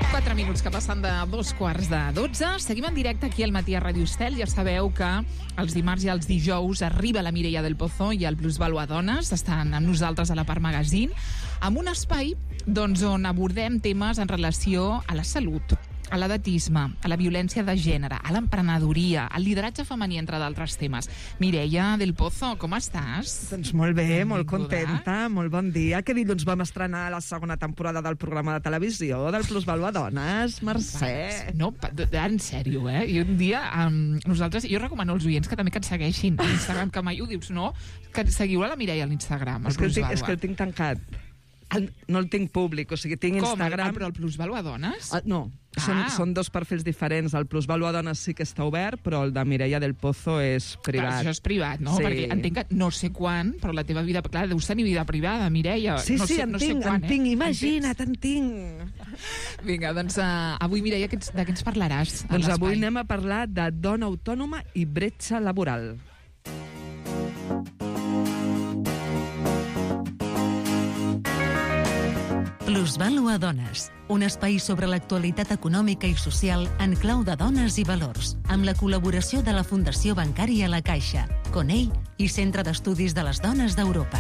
4 minuts que passen de 2:15. Seguim en directe aquí al matí a Ràdio Estel. Ja sabeu que els dimarts i els dijous arriba la Mireia del Pozo i el Plusvaluadones. Estan amb nosaltres a la Part Magazine, amb un espai on abordem temes en relació a la salut, a l'edatisme, a la violència de gènere, a l'emprenedoria, al lideratge femení, entre d'altres temes. Mireia del Pozo, com estàs? Doncs molt bé, molt contenta, molt bon dia. Que dilluns vam estrenar la segona temporada del programa de televisió del Plusvalua Dones, Mercè. No, en sèrio, I un dia, nosaltres, jo recomano als oients que també que ens segueixin a Instagram, que mai ho dius, no? Que seguiu a la Mireia a l'Instagram, És que el tinc tancat. No el tinc públic, o sigui, tinc Instagram... Com? Però el Plusvalua Dones? No, són dos perfils diferents. El Plusvalua Dones sí que està obert, però el de Mireia del Pozo és privat. Però això és privat, no? Sí. Perquè entenc que no sé quan, però la teva vida... Clar, deus tenir vida privada, Mireia. Sí, en tinc, imagina't, en tinc. Vinga, doncs avui, Mireia, de què ens parlaràs? Doncs avui anem a parlar de dona autònoma i bretxa laboral. Plusvalua Dones, un espai sobre l'actualitat econòmica i social en clau de dones i valors, amb la col·laboració de la Fundació Bancària La Caixa, CONEI i Centre d'Estudis de les Dones d'Europa.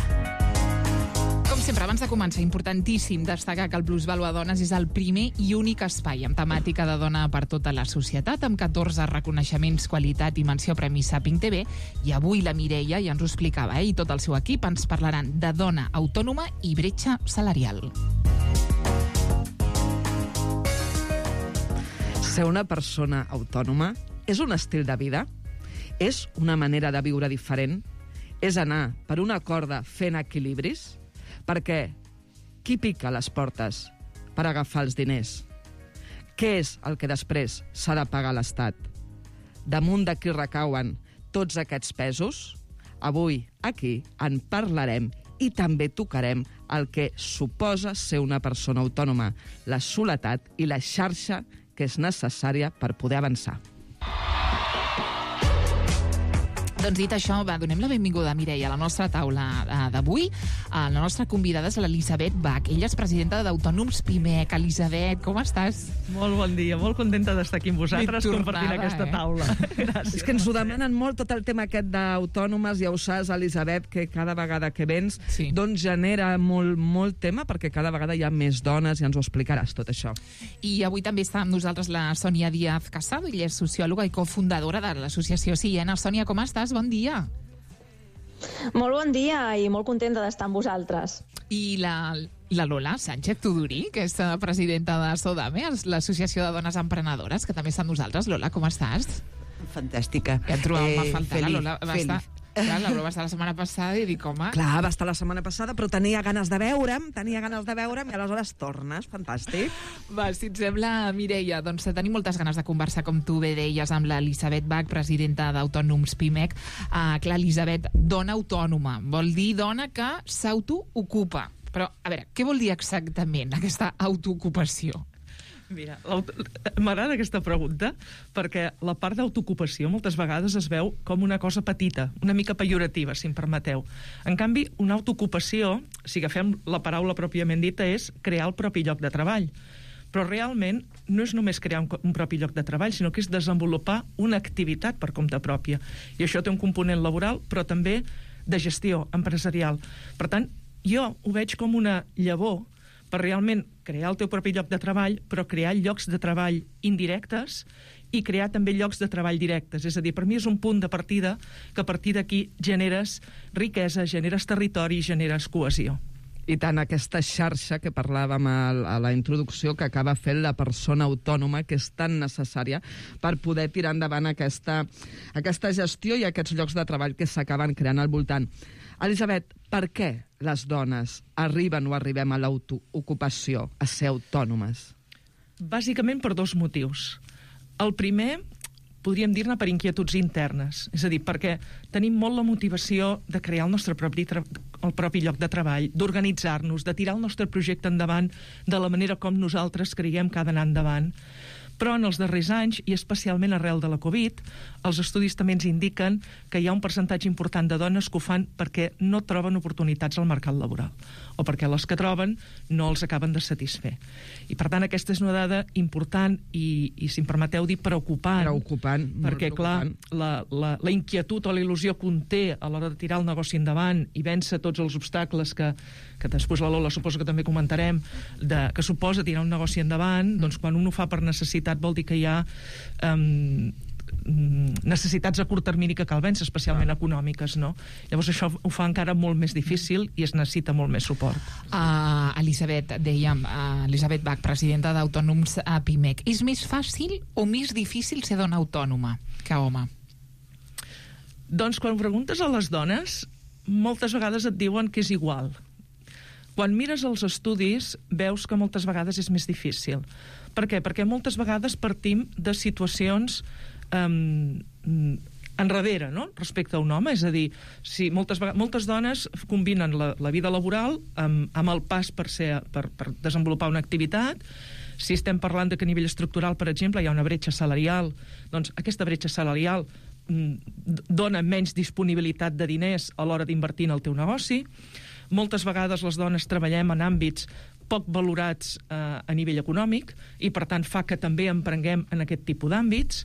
Com sempre, abans de començar, importantíssim destacar que el Plusvalua Dones és el primer i únic espai amb temàtica de dona per tota la societat, amb 14 reconeixements, qualitat i menció Premi Saping TV, i avui la Mireia ja ens ho explicava, i tot el seu equip ens parlaran de dona autònoma i bretxa salarial. Ser una persona autònoma és un estil de vida? És una manera de viure diferent? És anar per una corda fent equilibris? Perquè qui pica les portes per agafar els diners? Què és el que després s'ha de pagar l'Estat? Damunt de qui recauen tots aquests pesos? Avui, aquí, en parlarem i també tocarem el que suposa ser una persona autònoma, la soledat i la xarxa que és necessària per poder avançar. Doncs dit això, donem la benvinguda a Mireia a la nostra taula d'avui. La nostra convidada és l'Elisabet Bach. Ella és presidenta d'Autònoms Pimec. Elisabet, com estàs? Molt bon dia, molt contenta d'estar aquí amb vosaltres compartint aquesta taula. Gràcies. És que ens ho demanen molt, tot el tema aquest d'autònomes, ja ho saps, Elisabet, que cada vegada que vens doncs genera molt tema, perquè cada vegada hi ha més dones, i ens ho explicaràs tot això. I avui també està amb nosaltres la Sònia Díaz Casado, ella és sociòloga i cofundadora de l'associació Siena. Sònia, com estàs? Bon dia. Molt bon dia i molt contenta d'estar amb vosaltres. I la Lola Sánchez Tudurí, que és presidenta de Sodame, l'Associació de Dones Emprenedores, que també està amb nosaltres. Lola, com estàs? Fantàstica. Ja et trobàvem a faltar. La Lola va estar... Clar, la Lola va estar la setmana passada i dic, home... Clar, va estar la setmana passada, però tenia ganes de veure'm, i aleshores tornes. Fantàstic. Va, si et sembla, Mireia, doncs tenim moltes ganes de conversar, com tu bé deies, amb l'Elisabet Bach, presidenta d'Autònoms Pimec. Clar, Elisabet, dona autònoma, vol dir dona que s'autoocupa. Però, a veure, què vol dir exactament aquesta autoocupació? Mira, m'agrada aquesta pregunta perquè la part d'autoocupació moltes vegades es veu com una cosa petita, una mica pejorativa, si em permeteu. En canvi, una autoocupació, si agafem la paraula pròpiament dita, és crear el propi lloc de treball. Però realment no és només crear un propi lloc de treball, sinó que és desenvolupar una activitat per compte pròpia. I això té un component laboral, però també de gestió empresarial. Per tant, jo ho veig com una llavor per realment crear el teu propi lloc de treball, però crear llocs de treball indirectes i crear també llocs de treball directes. És a dir, per mi és un punt de partida que a partir d'aquí generes riquesa, generes territori, generes cohesió. I tant, aquesta xarxa que parlàvem a la introducció que acaba fent la persona autònoma, que és tan necessària per poder tirar endavant aquesta gestió i aquests llocs de treball que s'acaben creant al voltant. Elisabet, per què les dones arriben o arribem a l'autoocupació, a ser autònomes? Bàsicament per dos motius. El primer, podríem dir-ne per inquietuds internes, és a dir, perquè tenim molt la motivació de crear el nostre propi lloc de treball, d'organitzar-nos, de tirar el nostre projecte endavant de la manera com nosaltres creiem que ha d'anar endavant. Però en els darrers anys, i especialment arrel de la Covid, els estudis també ens indiquen que hi ha un percentatge important de dones que ho fan perquè no troben oportunitats al mercat laboral, o perquè les que troben no els acaben de satisfer. I per tant aquesta és una dada important i si em permeteu dir, preocupant. Perquè clar, la inquietud o la il·lusió que un té a l'hora de tirar el negoci endavant i vèncer tots els obstacles que després la Lola suposo que també comentarem, que suposa tirar un negoci endavant, doncs quan un ho fa per necessitat competitivitat vol dir que hi ha necessitats a curt termini que cal vèncer, especialment econòmiques, no? Llavors això ho fa encara molt més difícil i es necessita molt més suport. Elisabet, dèiem, Elisabet Bach, presidenta d'Autònoms a PIMEC. És més fàcil o més difícil ser dona autònoma que home? Doncs quan preguntes a les dones, moltes vegades et diuen que és igual. Quan mires els estudis, veus que moltes vegades és més difícil. Per què? Perquè moltes vegades partim de situacions enrere, no?, respecte a un home. És a dir, si moltes dones combinen la vida laboral amb el pas per desenvolupar una activitat. Si estem parlant de que a nivell estructural, per exemple, hi ha una bretxa salarial, doncs aquesta bretxa salarial dona menys disponibilitat de diners a l'hora d'invertir en el teu negoci. Moltes vegades les dones treballem en àmbits poc valorats a nivell econòmic i, per tant, fa que també emprenguem en aquest tipus d'àmbits.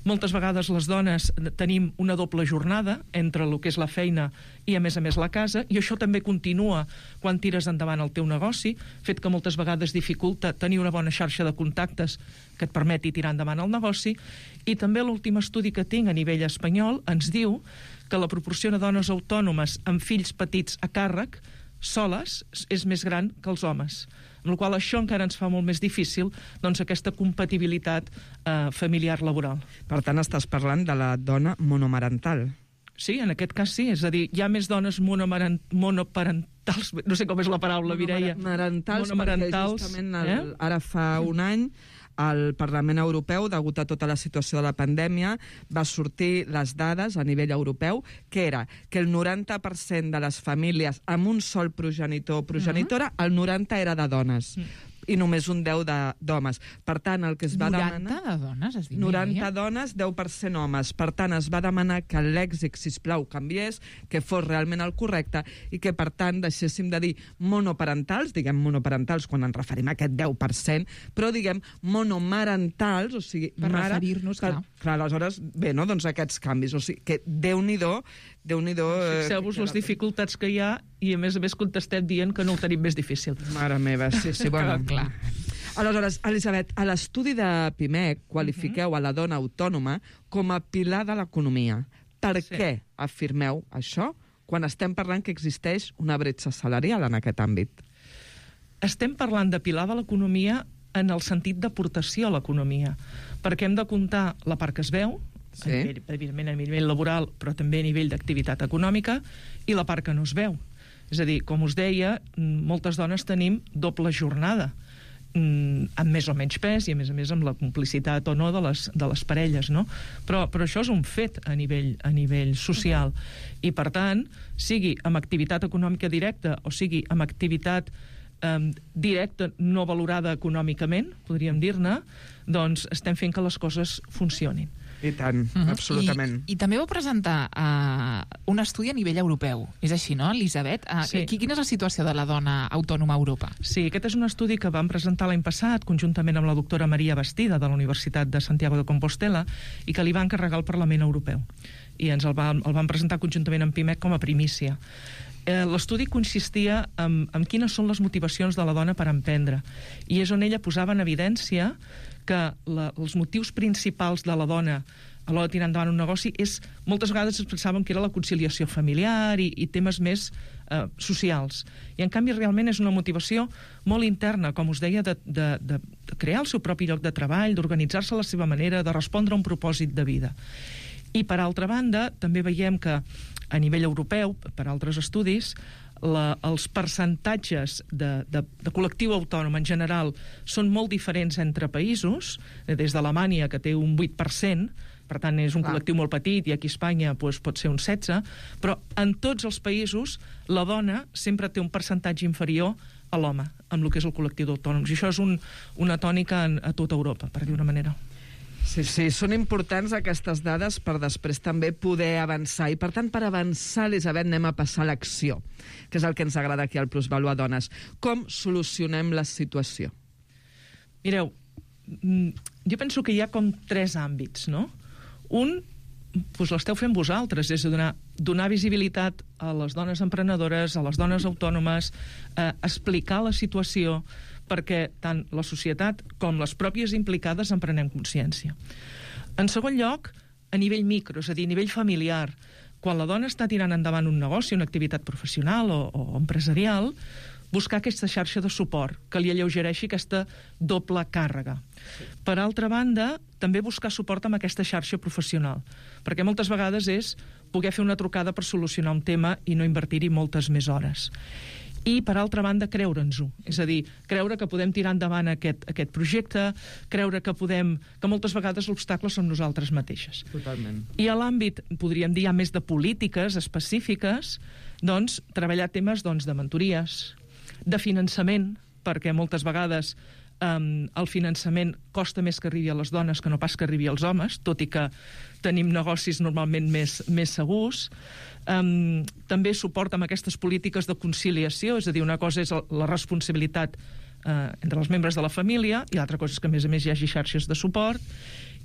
Moltes vegades les dones tenim una doble jornada entre el que és la feina i, a més la casa, i això també continua quan tires endavant el teu negoci, fet que moltes vegades dificulta tenir una bona xarxa de contactes que et permeti tirar endavant el negoci. I també l'últim estudi que tinc a nivell espanyol ens diu que la proporció de dones autònomes amb fills petits a càrrec soles és més gran que els homes, amb la qual això encara ens fa molt més difícil, doncs, aquesta compatibilitat familiar-laboral. Per tant, estàs parlant de la dona monomarental. Sí, en aquest cas sí. És a dir, hi ha més dones monoparentals, no sé com és la paraula, Mireia. Monomarentals, perquè justament ara fa un any al Parlament Europeu, degut a tota la situació de la pandèmia, va sortir les dades a nivell europeu, que era que el 90% de les famílies amb un sol progenitor o progenitora, el 90% era de dones. I només un 10 d'homes. Per tant, el que es va demanar... 90 de dones, es diu? 90 dones, 10% homes. Per tant, es va demanar que el lèxic, sisplau, canviés, que fos realment el correcte i que, per tant, deixéssim de dir monoparentals, diguem monoparentals quan ens referim a aquest 10%, però diguem monomarentals, o sigui... Per referir-nos, clar. Clar, aleshores, bé, no?, doncs aquests canvis. O sigui, que Déu-n'hi-do... Fixeu-vos les dificultats que hi ha i, a més contestem dient que no ho tenim més difícil. Mare meva, sí, bueno. Clar. Aleshores, Elisabet, a l'estudi de PIMEC qualifiqueu a la dona autònoma com a pilar de l'economia. Per què afirmeu això quan estem parlant que existeix una bretxa salarial en aquest àmbit? Estem parlant de pilar de l'economia en el sentit d'aportació a l'economia, perquè hem de comptar la part que es veu, evidentment a nivell laboral, però també a nivell d'activitat econòmica, i la part que no es veu. És a dir, com us deia, moltes dones tenim doble jornada, amb més o menys pes i, a més amb la complicitat o no de les parelles, no? Però això és un fet a nivell social. I, per tant, sigui amb activitat econòmica directa o sigui amb activitat directa no valorada econòmicament, podríem dir-ne, doncs estem fent que les coses funcionin. I tant, absolutament. I també vau presentar un estudi a nivell europeu. És així, no, Elisabet? Sí. Quina és la situació de la dona autònoma a Europa? Sí, aquest és un estudi que vam presentar l'any passat conjuntament amb la doctora Maria Bastida de la Universitat de Santiago de Compostela i que li va encarregar al Parlament Europeu. I ens el vam presentar conjuntament amb PIMEC com a primícia. L'estudi consistia en quines són les motivacions de la dona per emprendre, i és on ella posava en evidència que els motius principals de la dona a l'hora de tirar endavant un negoci moltes vegades es pensaven que era la conciliació familiar i temes més socials, i en canvi realment és una motivació molt interna, com us deia, de crear el seu propi lloc de treball, d'organitzar-se a la seva manera, de respondre a un propòsit de vida. I per altra banda també veiem que a nivell europeu, per altres estudis, els percentatges de col·lectiu autònom en general són molt diferents entre països, des d'Alemanya, que té un 8%, per tant és un col·lectiu molt petit, i aquí a Espanya pot ser un 16%, però en tots els països la dona sempre té un percentatge inferior a l'home, amb el que és el col·lectiu d'autònoms. I això és una tònica a tota Europa, per dir una manera. Sí, són importants aquestes dades per després també poder avançar. I, per tant, per avançar, Elisabet, anem a passar a l'acció, que és el que ens agrada aquí al Plusvalor Dones. Com solucionem la situació? Mireu, jo penso que hi ha com 3 àmbits, no? Un, doncs l'esteu fent vosaltres, és donar visibilitat a les dones emprenedores, a les dones autònomes, explicar la situació, perquè tant la societat com les pròpies implicades en prenem consciència. En segon lloc, a nivell micro, és a dir, a nivell familiar, quan la dona està tirant endavant un negoci, una activitat professional o empresarial, buscar aquesta xarxa de suport que li alleugereixi aquesta doble càrrega. Per altra banda, també buscar suport amb aquesta xarxa professional, perquè moltes vegades és poder fer una trucada per solucionar un tema i no invertir-hi moltes més hores. I, per altra banda, creure'ns-ho. És a dir, creure que podem tirar endavant aquest projecte, creure que moltes vegades l'obstacle som nosaltres mateixes. Totalment. I a l'àmbit, podríem dir, més de polítiques específiques, doncs, treballar temes de mentories, de finançament, perquè moltes vegades el finançament costa més que arribi a les dones que no pas que arribi als homes, tot i que tenim negocis normalment més segurs. També suport amb aquestes polítiques de conciliació, és a dir, una cosa és la responsabilitat entre els membres de la família i l'altra cosa és que, a més, hi hagi xarxes de suport.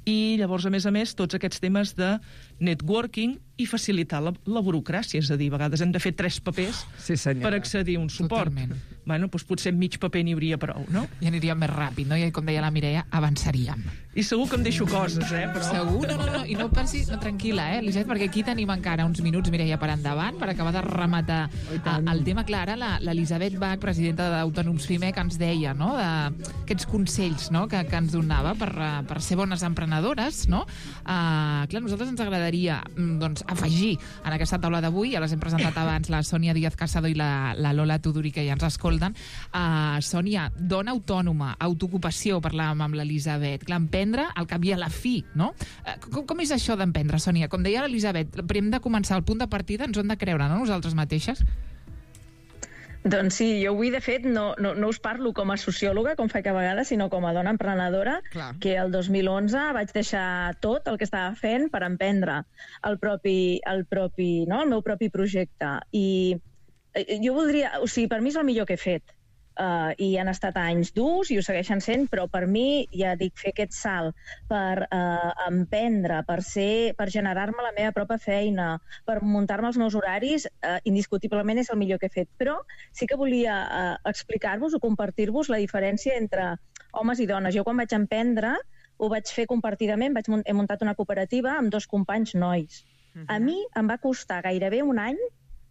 I llavors, a més, tots aquests temes de networking i facilitar la burocràcia, és a dir, a vegades hem de fer 3 papers per accedir a un suport. Totalment. Bueno, doncs potser amb mig paper n'hi hauria prou, no? I aniríem més ràpid, no? I com deia la Mireia, avançaríem. I segur que em deixo coses, però... Segur? No. I no pensis... No, tranquil·la, Elisabet, perquè aquí tenim encara uns minuts, Mireia, per endavant, per acabar de rematar el tema. Clar, ara l'Elisabet Bach, presidenta d'Autònoms FIME, que ens deia, no?, d'aquests consells, no?, que ens donava per ser bones emprenedores, no? Clar, a nosaltres ens agradaria, doncs, afegir en aquesta taula d'avui, ja les hem presentat abans, la Sònia Díaz Casado i la Lola Tuduri, que ja ens escolten. Sònia, dona autònoma, autoocupació, parlàvem amb l'Elisabet. Clar, emprendre al cap i a la fi, no? Com és això d'emprendre, Sònia? Com deia l'Elisabet, hem de començar, el punt de partida ens ho hem de creure, no?, nosaltres mateixes? Doncs sí, jo avui, de fet, no us parlo com a sociòloga, com faig a vegades, sinó com a dona emprenedora, que el 2011 vaig deixar tot el que estava fent per emprendre el meu propi projecte. I jo voldria... O sigui, per mi és el millor que he fet. I han estat anys durs i ho segueixen sent, però per mi, ja dic, fer aquest salt per emprendre, per generar-me la meva pròpia feina, per muntar-me els meus horaris, indiscutiblement és el millor que he fet. Però sí que volia explicar-vos o compartir-vos la diferència entre homes i dones. Jo quan vaig emprendre ho vaig fer compartidament, he muntat una cooperativa amb 2 companys nois. A mi em va costar gairebé un any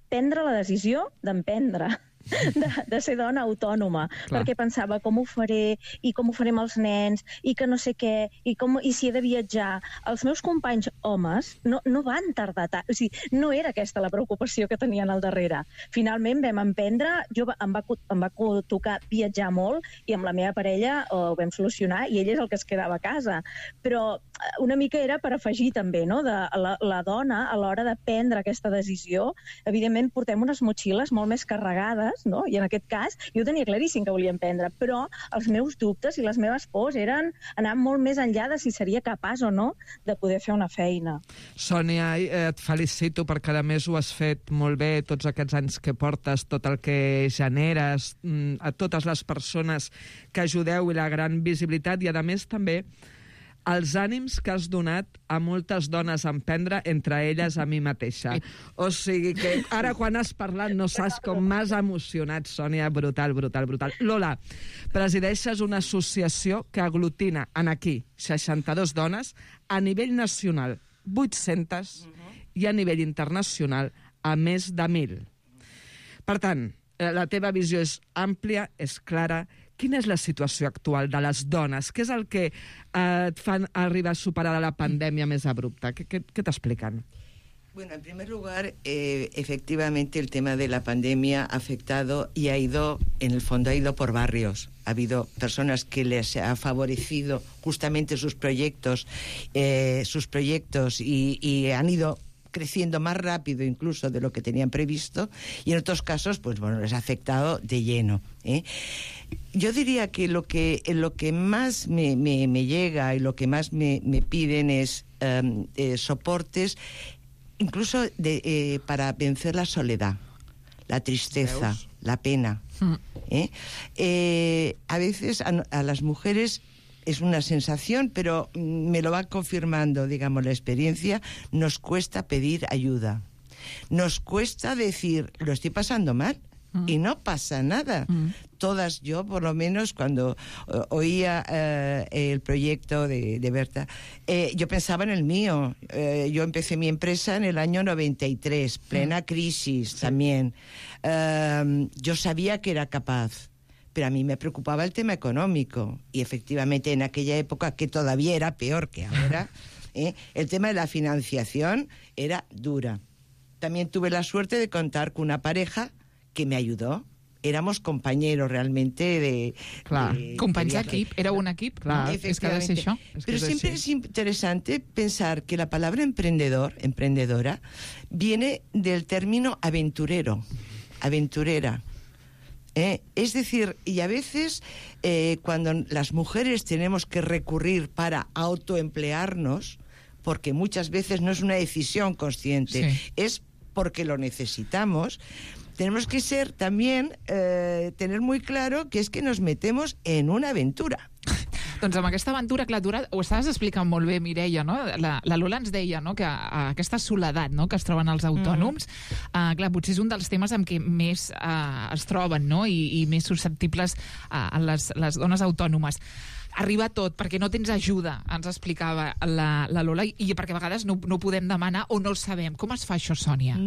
prendre la decisió d'emprendre. De ser dona autònoma, perquè pensava com ho faré i com ho faré amb els nens i que no sé què, i si he de viatjar. Els meus companys homes no van tardar tant, o sigui, no era aquesta la preocupació que tenien al darrere. Finalment vam emprendre, em va tocar viatjar molt i amb la meva parella ho vam solucionar i ell és el que es quedava a casa. Però una mica era per afegir també, no?, de la dona a l'hora de prendre aquesta decisió. Evidentment portem unes motxilles molt més carregades, no? I en aquest cas jo tenia claríssim que volia emprendre, però els meus dubtes i les meves pors eren anar molt més enllà de si seria capaç o no de poder fer una feina. Sònia, et felicito perquè a més ho has fet molt bé tots aquests anys que portes, tot el que generes, a totes les persones que ajudeu i la gran visibilitat i a més també els ànims que has donat a moltes dones a emprendre, entre elles a mi mateixa. O sigui que ara quan has parlat no saps com m'has emocionat, Sònia, brutal. Lola, presideixes una associació que aglutina en aquí 62 dones, a nivell nacional 800 i a nivell internacional a més de 1.000. Per tant, la teva visió és àmplia, és clara. Quina és la situació actual de les dones? Què és el que et fan arribar a superar la pandèmia més abrupta? ¿Qué te explican? Bueno, en primer lugar, efectivamente el tema de la pandemia ha afectado y ha ido, en el fondo, ha ido por barrios. Ha habido personas que les ha favorecido justamente sus proyectos y han ido creciendo más rápido incluso de lo que tenían previsto, y en otros casos, pues bueno, les ha afectado de lleno, ¿eh? Yo diría que lo que más me llega y lo que más me piden es soportes, incluso para vencer la soledad, la tristeza, la pena. A veces a las mujeres es una sensación, pero me lo va confirmando, digamos, la experiencia. Nos cuesta pedir ayuda. Nos cuesta decir, lo estoy pasando mal, y no pasa nada. Todas, yo por lo menos cuando oía el proyecto de Berta, yo pensaba en el mío. Yo empecé mi empresa en el año 93, plena crisis también. Yo sabía que era capaz, pero a mí me preocupaba el tema económico, y efectivamente en aquella época, que todavía era peor que ahora, el tema de la financiación era dura. También tuve la suerte de contar con una pareja que me ayudó. Éramos compañeros realmente de... Companys d'equip, era un equip, és que ha de ser això. Pero siempre es interesante pensar que la palabra emprendedora, viene del término aventurero, aventurera. Es decir, y a veces cuando las mujeres tenemos que recurrir para autoemplearnos, porque muchas veces no es una decisión consciente, es porque lo necesitamos, tenemos que ser también, tener muy claro que es que nos metemos en una aventura. Doncs amb aquesta aventura, clar, ho estaves explicant molt bé, Mireia, no? La Lola ens deia, no?, que aquesta soledat, no?, que es troben els autònoms, clar, potser és un dels temes amb què més es troben, no?, i més susceptibles a les dones autònomes. Arriba tot, perquè no tens ajuda, ens explicava la Lola, i perquè a vegades no podem demanar o no el sabem. Com es fa això, Sònia?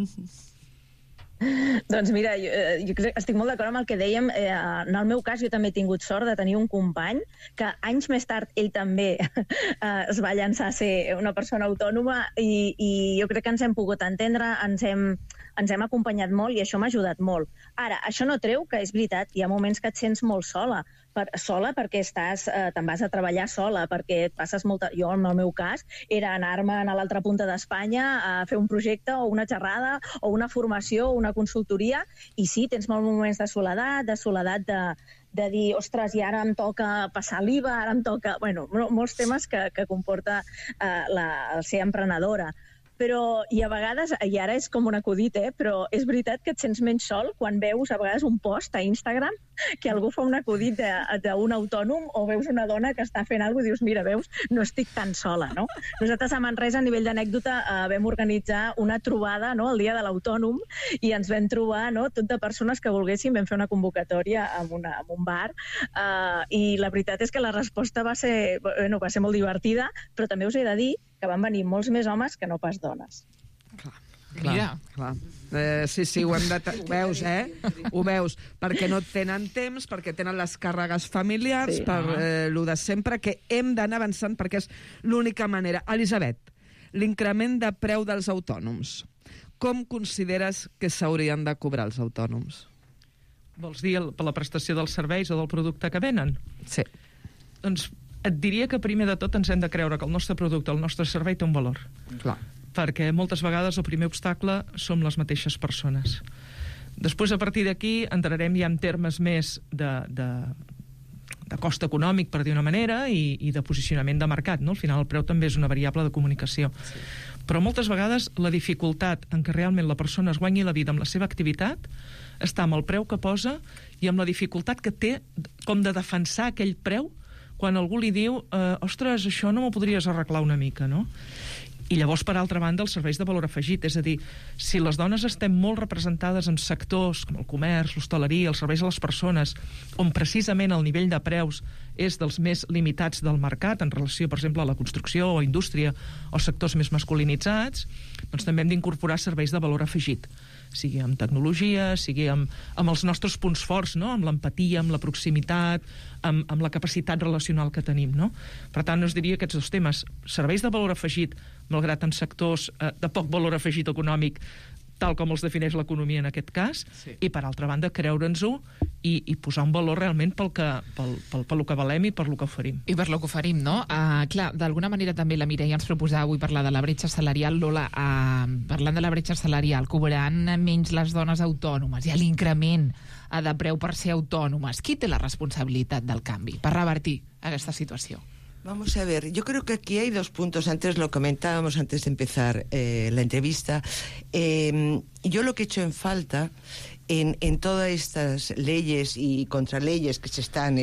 Doncs mira, jo estic molt d'acord amb el que dèiem. En el meu cas, jo també he tingut sort de tenir un company que anys més tard ell també es va llançar a ser una persona autònoma, i jo crec que ens hem pogut entendre, ens hem acompanyat molt, i això m'ha ajudat molt. Ara, això no treu que és veritat, hi ha moments que et sents molt sola perquè te'n vas a treballar sola, perquè et passes molta... Jo, en el meu cas, era anar-me a l'altra punta d'Espanya a fer un projecte o una xerrada o una formació o una consultoria, i sí, tens molts moments de soledat de dir, ostres, i ara em toca passar l'IVA, ara em toca... Bueno, molts temes que comporta el ser emprenedora. Però, i a vegades, i ara és com un acudit, però és veritat que et sents menys sol quan veus a vegades un post a Instagram que algú fa un acudit d'un autònom, o veus una dona que està fent alguna cosa i dius, mira, veus, no estic tan sola, no? Nosaltres a Manresa, a nivell d'anècdota, vam organitzar una trobada, no?, el dia de l'autònom, i ens vam trobar, no?, tot de persones que volguessin. Vam fer una convocatòria en un bar, i la veritat és que la resposta va ser molt divertida, però també us he de dir que van venir molts més homes que no pas dones. Mira. Clar. Sí, ho veus, Ho veus, perquè no tenen temps, perquè tenen les càrregues familiars, per lo de sempre, que hem d'anar avançant, perquè és l'única manera. Elisabet, l'increment de preu dels autònoms. Com consideres que s'haurien de cobrar els autònoms? Vols dir per la prestació dels serveis o del producte que venen? Sí. Doncs et diria que primer de tot ens hem de creure que el nostre producte, el nostre servei té un valor. Clar. Perquè moltes vegades el primer obstacle som les mateixes persones. Després, a partir d'aquí, entrarem ja en termes més de cost econòmic, per dir una manera, i de posicionament de mercat, no? Al final el preu també és una variable de comunicació. Sí. Però moltes vegades la dificultat en què realment la persona es guanyi la vida amb la seva activitat està amb el preu que posa i amb la dificultat que té com de defensar aquell preu quan algú li diu, ostres, això no m'ho podries arreglar una mica, no? I llavors, per altra banda, els serveis de valor afegit. És a dir, si les dones estem molt representades en sectors com el comerç, l'hostaleria, els serveis a les persones, on precisament el nivell de preus és dels més limitats del mercat en relació, per exemple, a la construcció o indústria o sectors més masculinitzats, doncs també hem d'incorporar serveis de valor afegit, sigui amb tecnologia, sigui amb els nostres punts forts, no? Amb l'empatia, amb la proximitat, amb la capacitat relacional que tenim, no? Per tant, us diria aquests dos temes. Serveis de valor afegit, malgrat en sectors de poc valor afegit econòmic, tal com els defineix l'economia en aquest cas, i per altra banda creure'ns-ho i posar un valor realment pel que valem i per lo que oferim. I per lo que oferim, no? Clar, d'alguna manera també la Mireia ens proposava avui parlar de la bretxa salarial. Lola, parlant de la bretxa salarial, cobraran menys les dones autònomes, hi ha l'increment de preu per ser autònomes. Qui té la responsabilitat del canvi per revertir aquesta situació? Vamos a ver, yo creo que aquí hay dos puntos. Antes lo comentábamos antes de empezar la entrevista. Yo lo que he hecho en falta en todas estas leyes y contraleyes que se están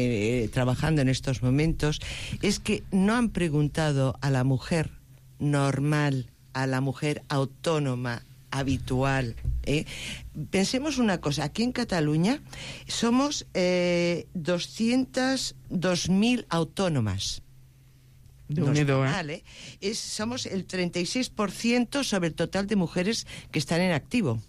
trabajando en estos momentos es que no han preguntado a la mujer normal, a la mujer autónoma, habitual. Pensemos una cosa, aquí en Cataluña somos 202.000 autónomas. Somos el 36% sobre el total de mujeres que están en activo.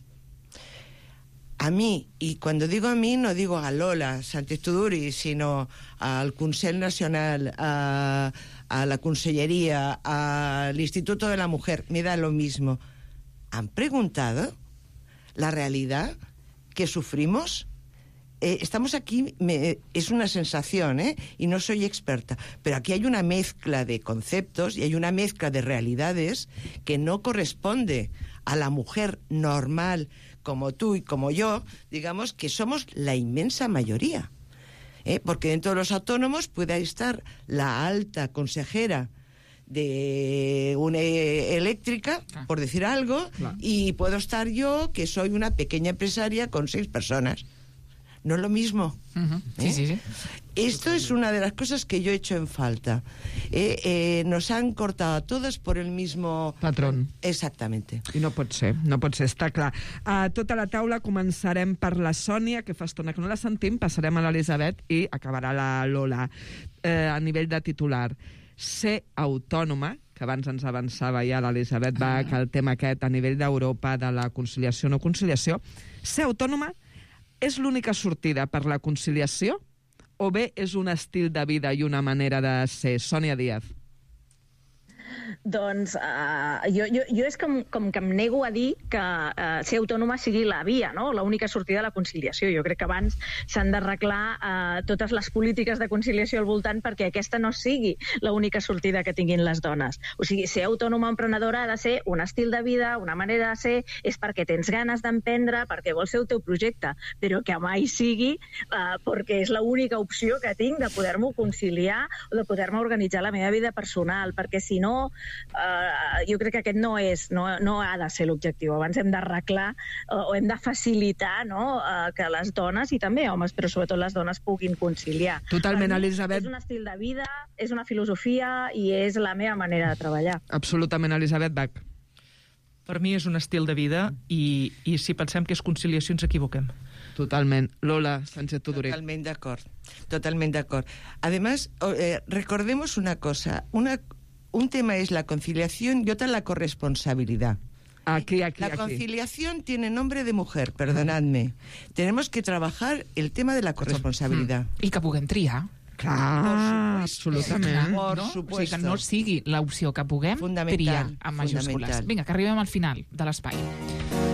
A mí, y cuando digo a mí, no digo a Lola Sánchez Tuduri, sino al Consell Nacional, a la Consellería, al Instituto de la Mujer, me da lo mismo. ¿Han preguntado la realidad que sufrimos? Estamos aquí, es una sensación, y no soy experta, pero aquí hay una mezcla de conceptos y hay una mezcla de realidades que no corresponde a la mujer normal como tú y como yo, digamos que somos la inmensa mayoría. Porque dentro de los autónomos puede estar la alta consejera de una eléctrica, por decir algo, y puedo estar yo, que soy una pequeña empresaria con 6 personas. No es lo mismo. Sí. Esto es una de las cosas que yo he hecho en falta. Nos han cortado a todos por el mismo... patrón. Exactamente. I no pot ser, està clar. A tota la taula començarem per la Sònia, que fa estona que no la sentim, passarem a l'Elisabet i acabarà la Lola. A nivell de titular, ser autònoma, que abans ens avançava ja l'Elisabet Bach, el tema aquest a nivell d'Europa de la conciliació o no conciliació, ser autònoma és l'única sortida per la conciliació o bé és un estil de vida i una manera de ser? Sònia Díaz. Doncs jo és com que em nego a dir que ser autònoma sigui la via, no? L'única sortida de la conciliació. Jo crec que abans s'han d'arreglar totes les polítiques de conciliació al voltant perquè aquesta no sigui l'única sortida que tinguin les dones. O sigui, ser autònoma emprenedora ha de ser un estil de vida, una manera de ser, és perquè tens ganes d'emprendre, perquè vols ser el teu projecte, però que mai sigui perquè és l'única opció que tinc de poder-m'ho conciliar o de poder-me organitzar la meva vida personal, perquè si no jo crec que aquest no ha de ser l'objectiu. Abans hem d'arreglar o hem de facilitar que les dones, i també homes, però sobretot les dones, puguin conciliar. Totalment, Elisabet. És un estil de vida, és una filosofia i és la meva manera de treballar. Absolutament, Elisabet Bach. Per mi és un estil de vida i si pensem que és conciliació ens equivoquem. Totalment. Lola Sánchez Tuduri. Totalmente de acuerdo. Además, recordemos una cosa, un tema es la conciliación y otra la corresponsabilidad. La conciliación tiene nombre de mujer, perdonadme. Tenemos que trabajar el tema de la corresponsabilidad. I que puguem triar. Clar, absolutament. Por O supuesto. sigui, que no sigui l'opció que puguem triar amb majúscules. Vinga, que arribem al final de l'espai.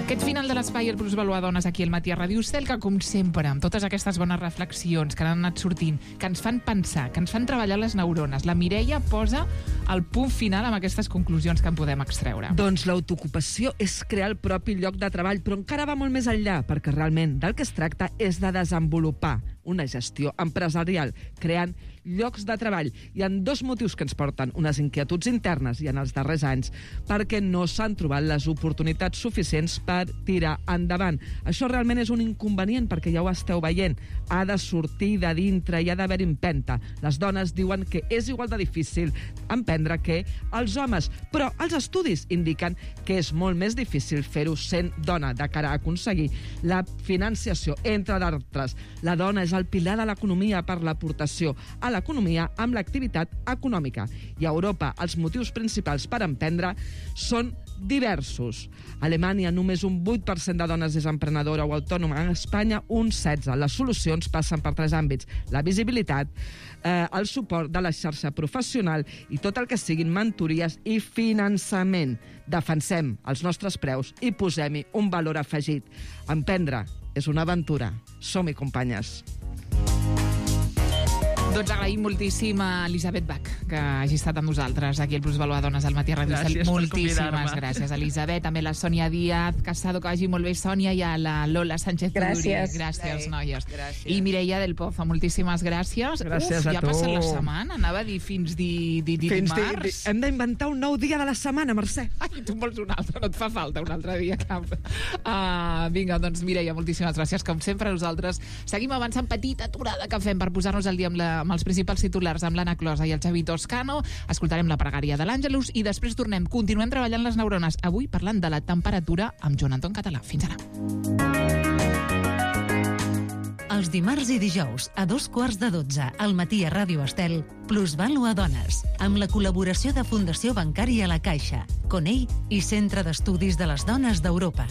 Aquest final de l'espai el Plus Valoar Dones aquí al Matí a Ràdio Estel, que com sempre, amb totes aquestes bones reflexions que han anat sortint, que ens fan pensar, que ens fan treballar les neurones, la Mireia posa el punt final amb aquestes conclusions que en podem extreure. Doncs l'autoocupació és crear el propi lloc de treball, però encara va molt més enllà, perquè realment del que es tracta és de desenvolupar una gestió empresarial, creant llocs de treball. Hi ha 2 motius que ens porten unes inquietuds internes i en els darrers anys perquè no s'han trobat les oportunitats suficients per tirar endavant. Això realment és un inconvenient perquè ja ho esteu veient. Ha de sortir de dintre i ha d'haver empenta. Les dones diuen que és igual de difícil emprendre que els homes, però els estudis indiquen que és molt més difícil fer-ho sent dona de cara a aconseguir la financiació, entre d'altres. La dona és el pilar de l'economia per l'aportació a l'economia amb l'activitat econòmica. I a Europa els motius principals per emprendre són diversos. A Alemanya només un 8% de dones és emprenedora o autònoma. En Espanya un 16%. Les solucions passen per 3 àmbits. La visibilitat, el suport de la xarxa professional i tot el que siguin mentories i finançament. Defensem els nostres preus i posem-hi un valor afegit. Emprendre és una aventura. Som-hi, companyes. Doncs agraïm moltíssim a Elisabet Bach que hagi estat amb nosaltres aquí al Plus Valoar Dones al Matí a Ràdio Estel. Moltíssimes gràcies, Elisabet. També la Sònia Díaz Casado, que vagi molt bé, Sònia, i a la Lola Sánchez Tuduri. Gràcies, noies. I Mireia del Pozo, moltíssimes gràcies. Gràcies a tu. Ja ha passat la setmana, anava a dir fins dimarts. Hem d'inventar un nou dia de la setmana, Mercè. Ai, tu en vols un altre, no et fa falta un altre dia cap. Vinga, doncs Mireia, moltíssimes gràcies. Com sempre, nosaltres seguim avançant, petita aturada que fem per posar-nos al dia amb amb els principals titulars amb l'Anna Closa i el Xavi Toscano. Escoltarem la pregària de l'Àngelus i després continuem treballant les neurones. Avui parlant de la temperatura amb Joan Anton Català. Fins ara. Els dimarts i dijous, a 2:15 al matí a Ràdio Estel, Plusvàlua Dones, amb la col·laboració de Fundació Bancària La Caixa, Conell i Centre d'Estudis de les Dones d'Europa.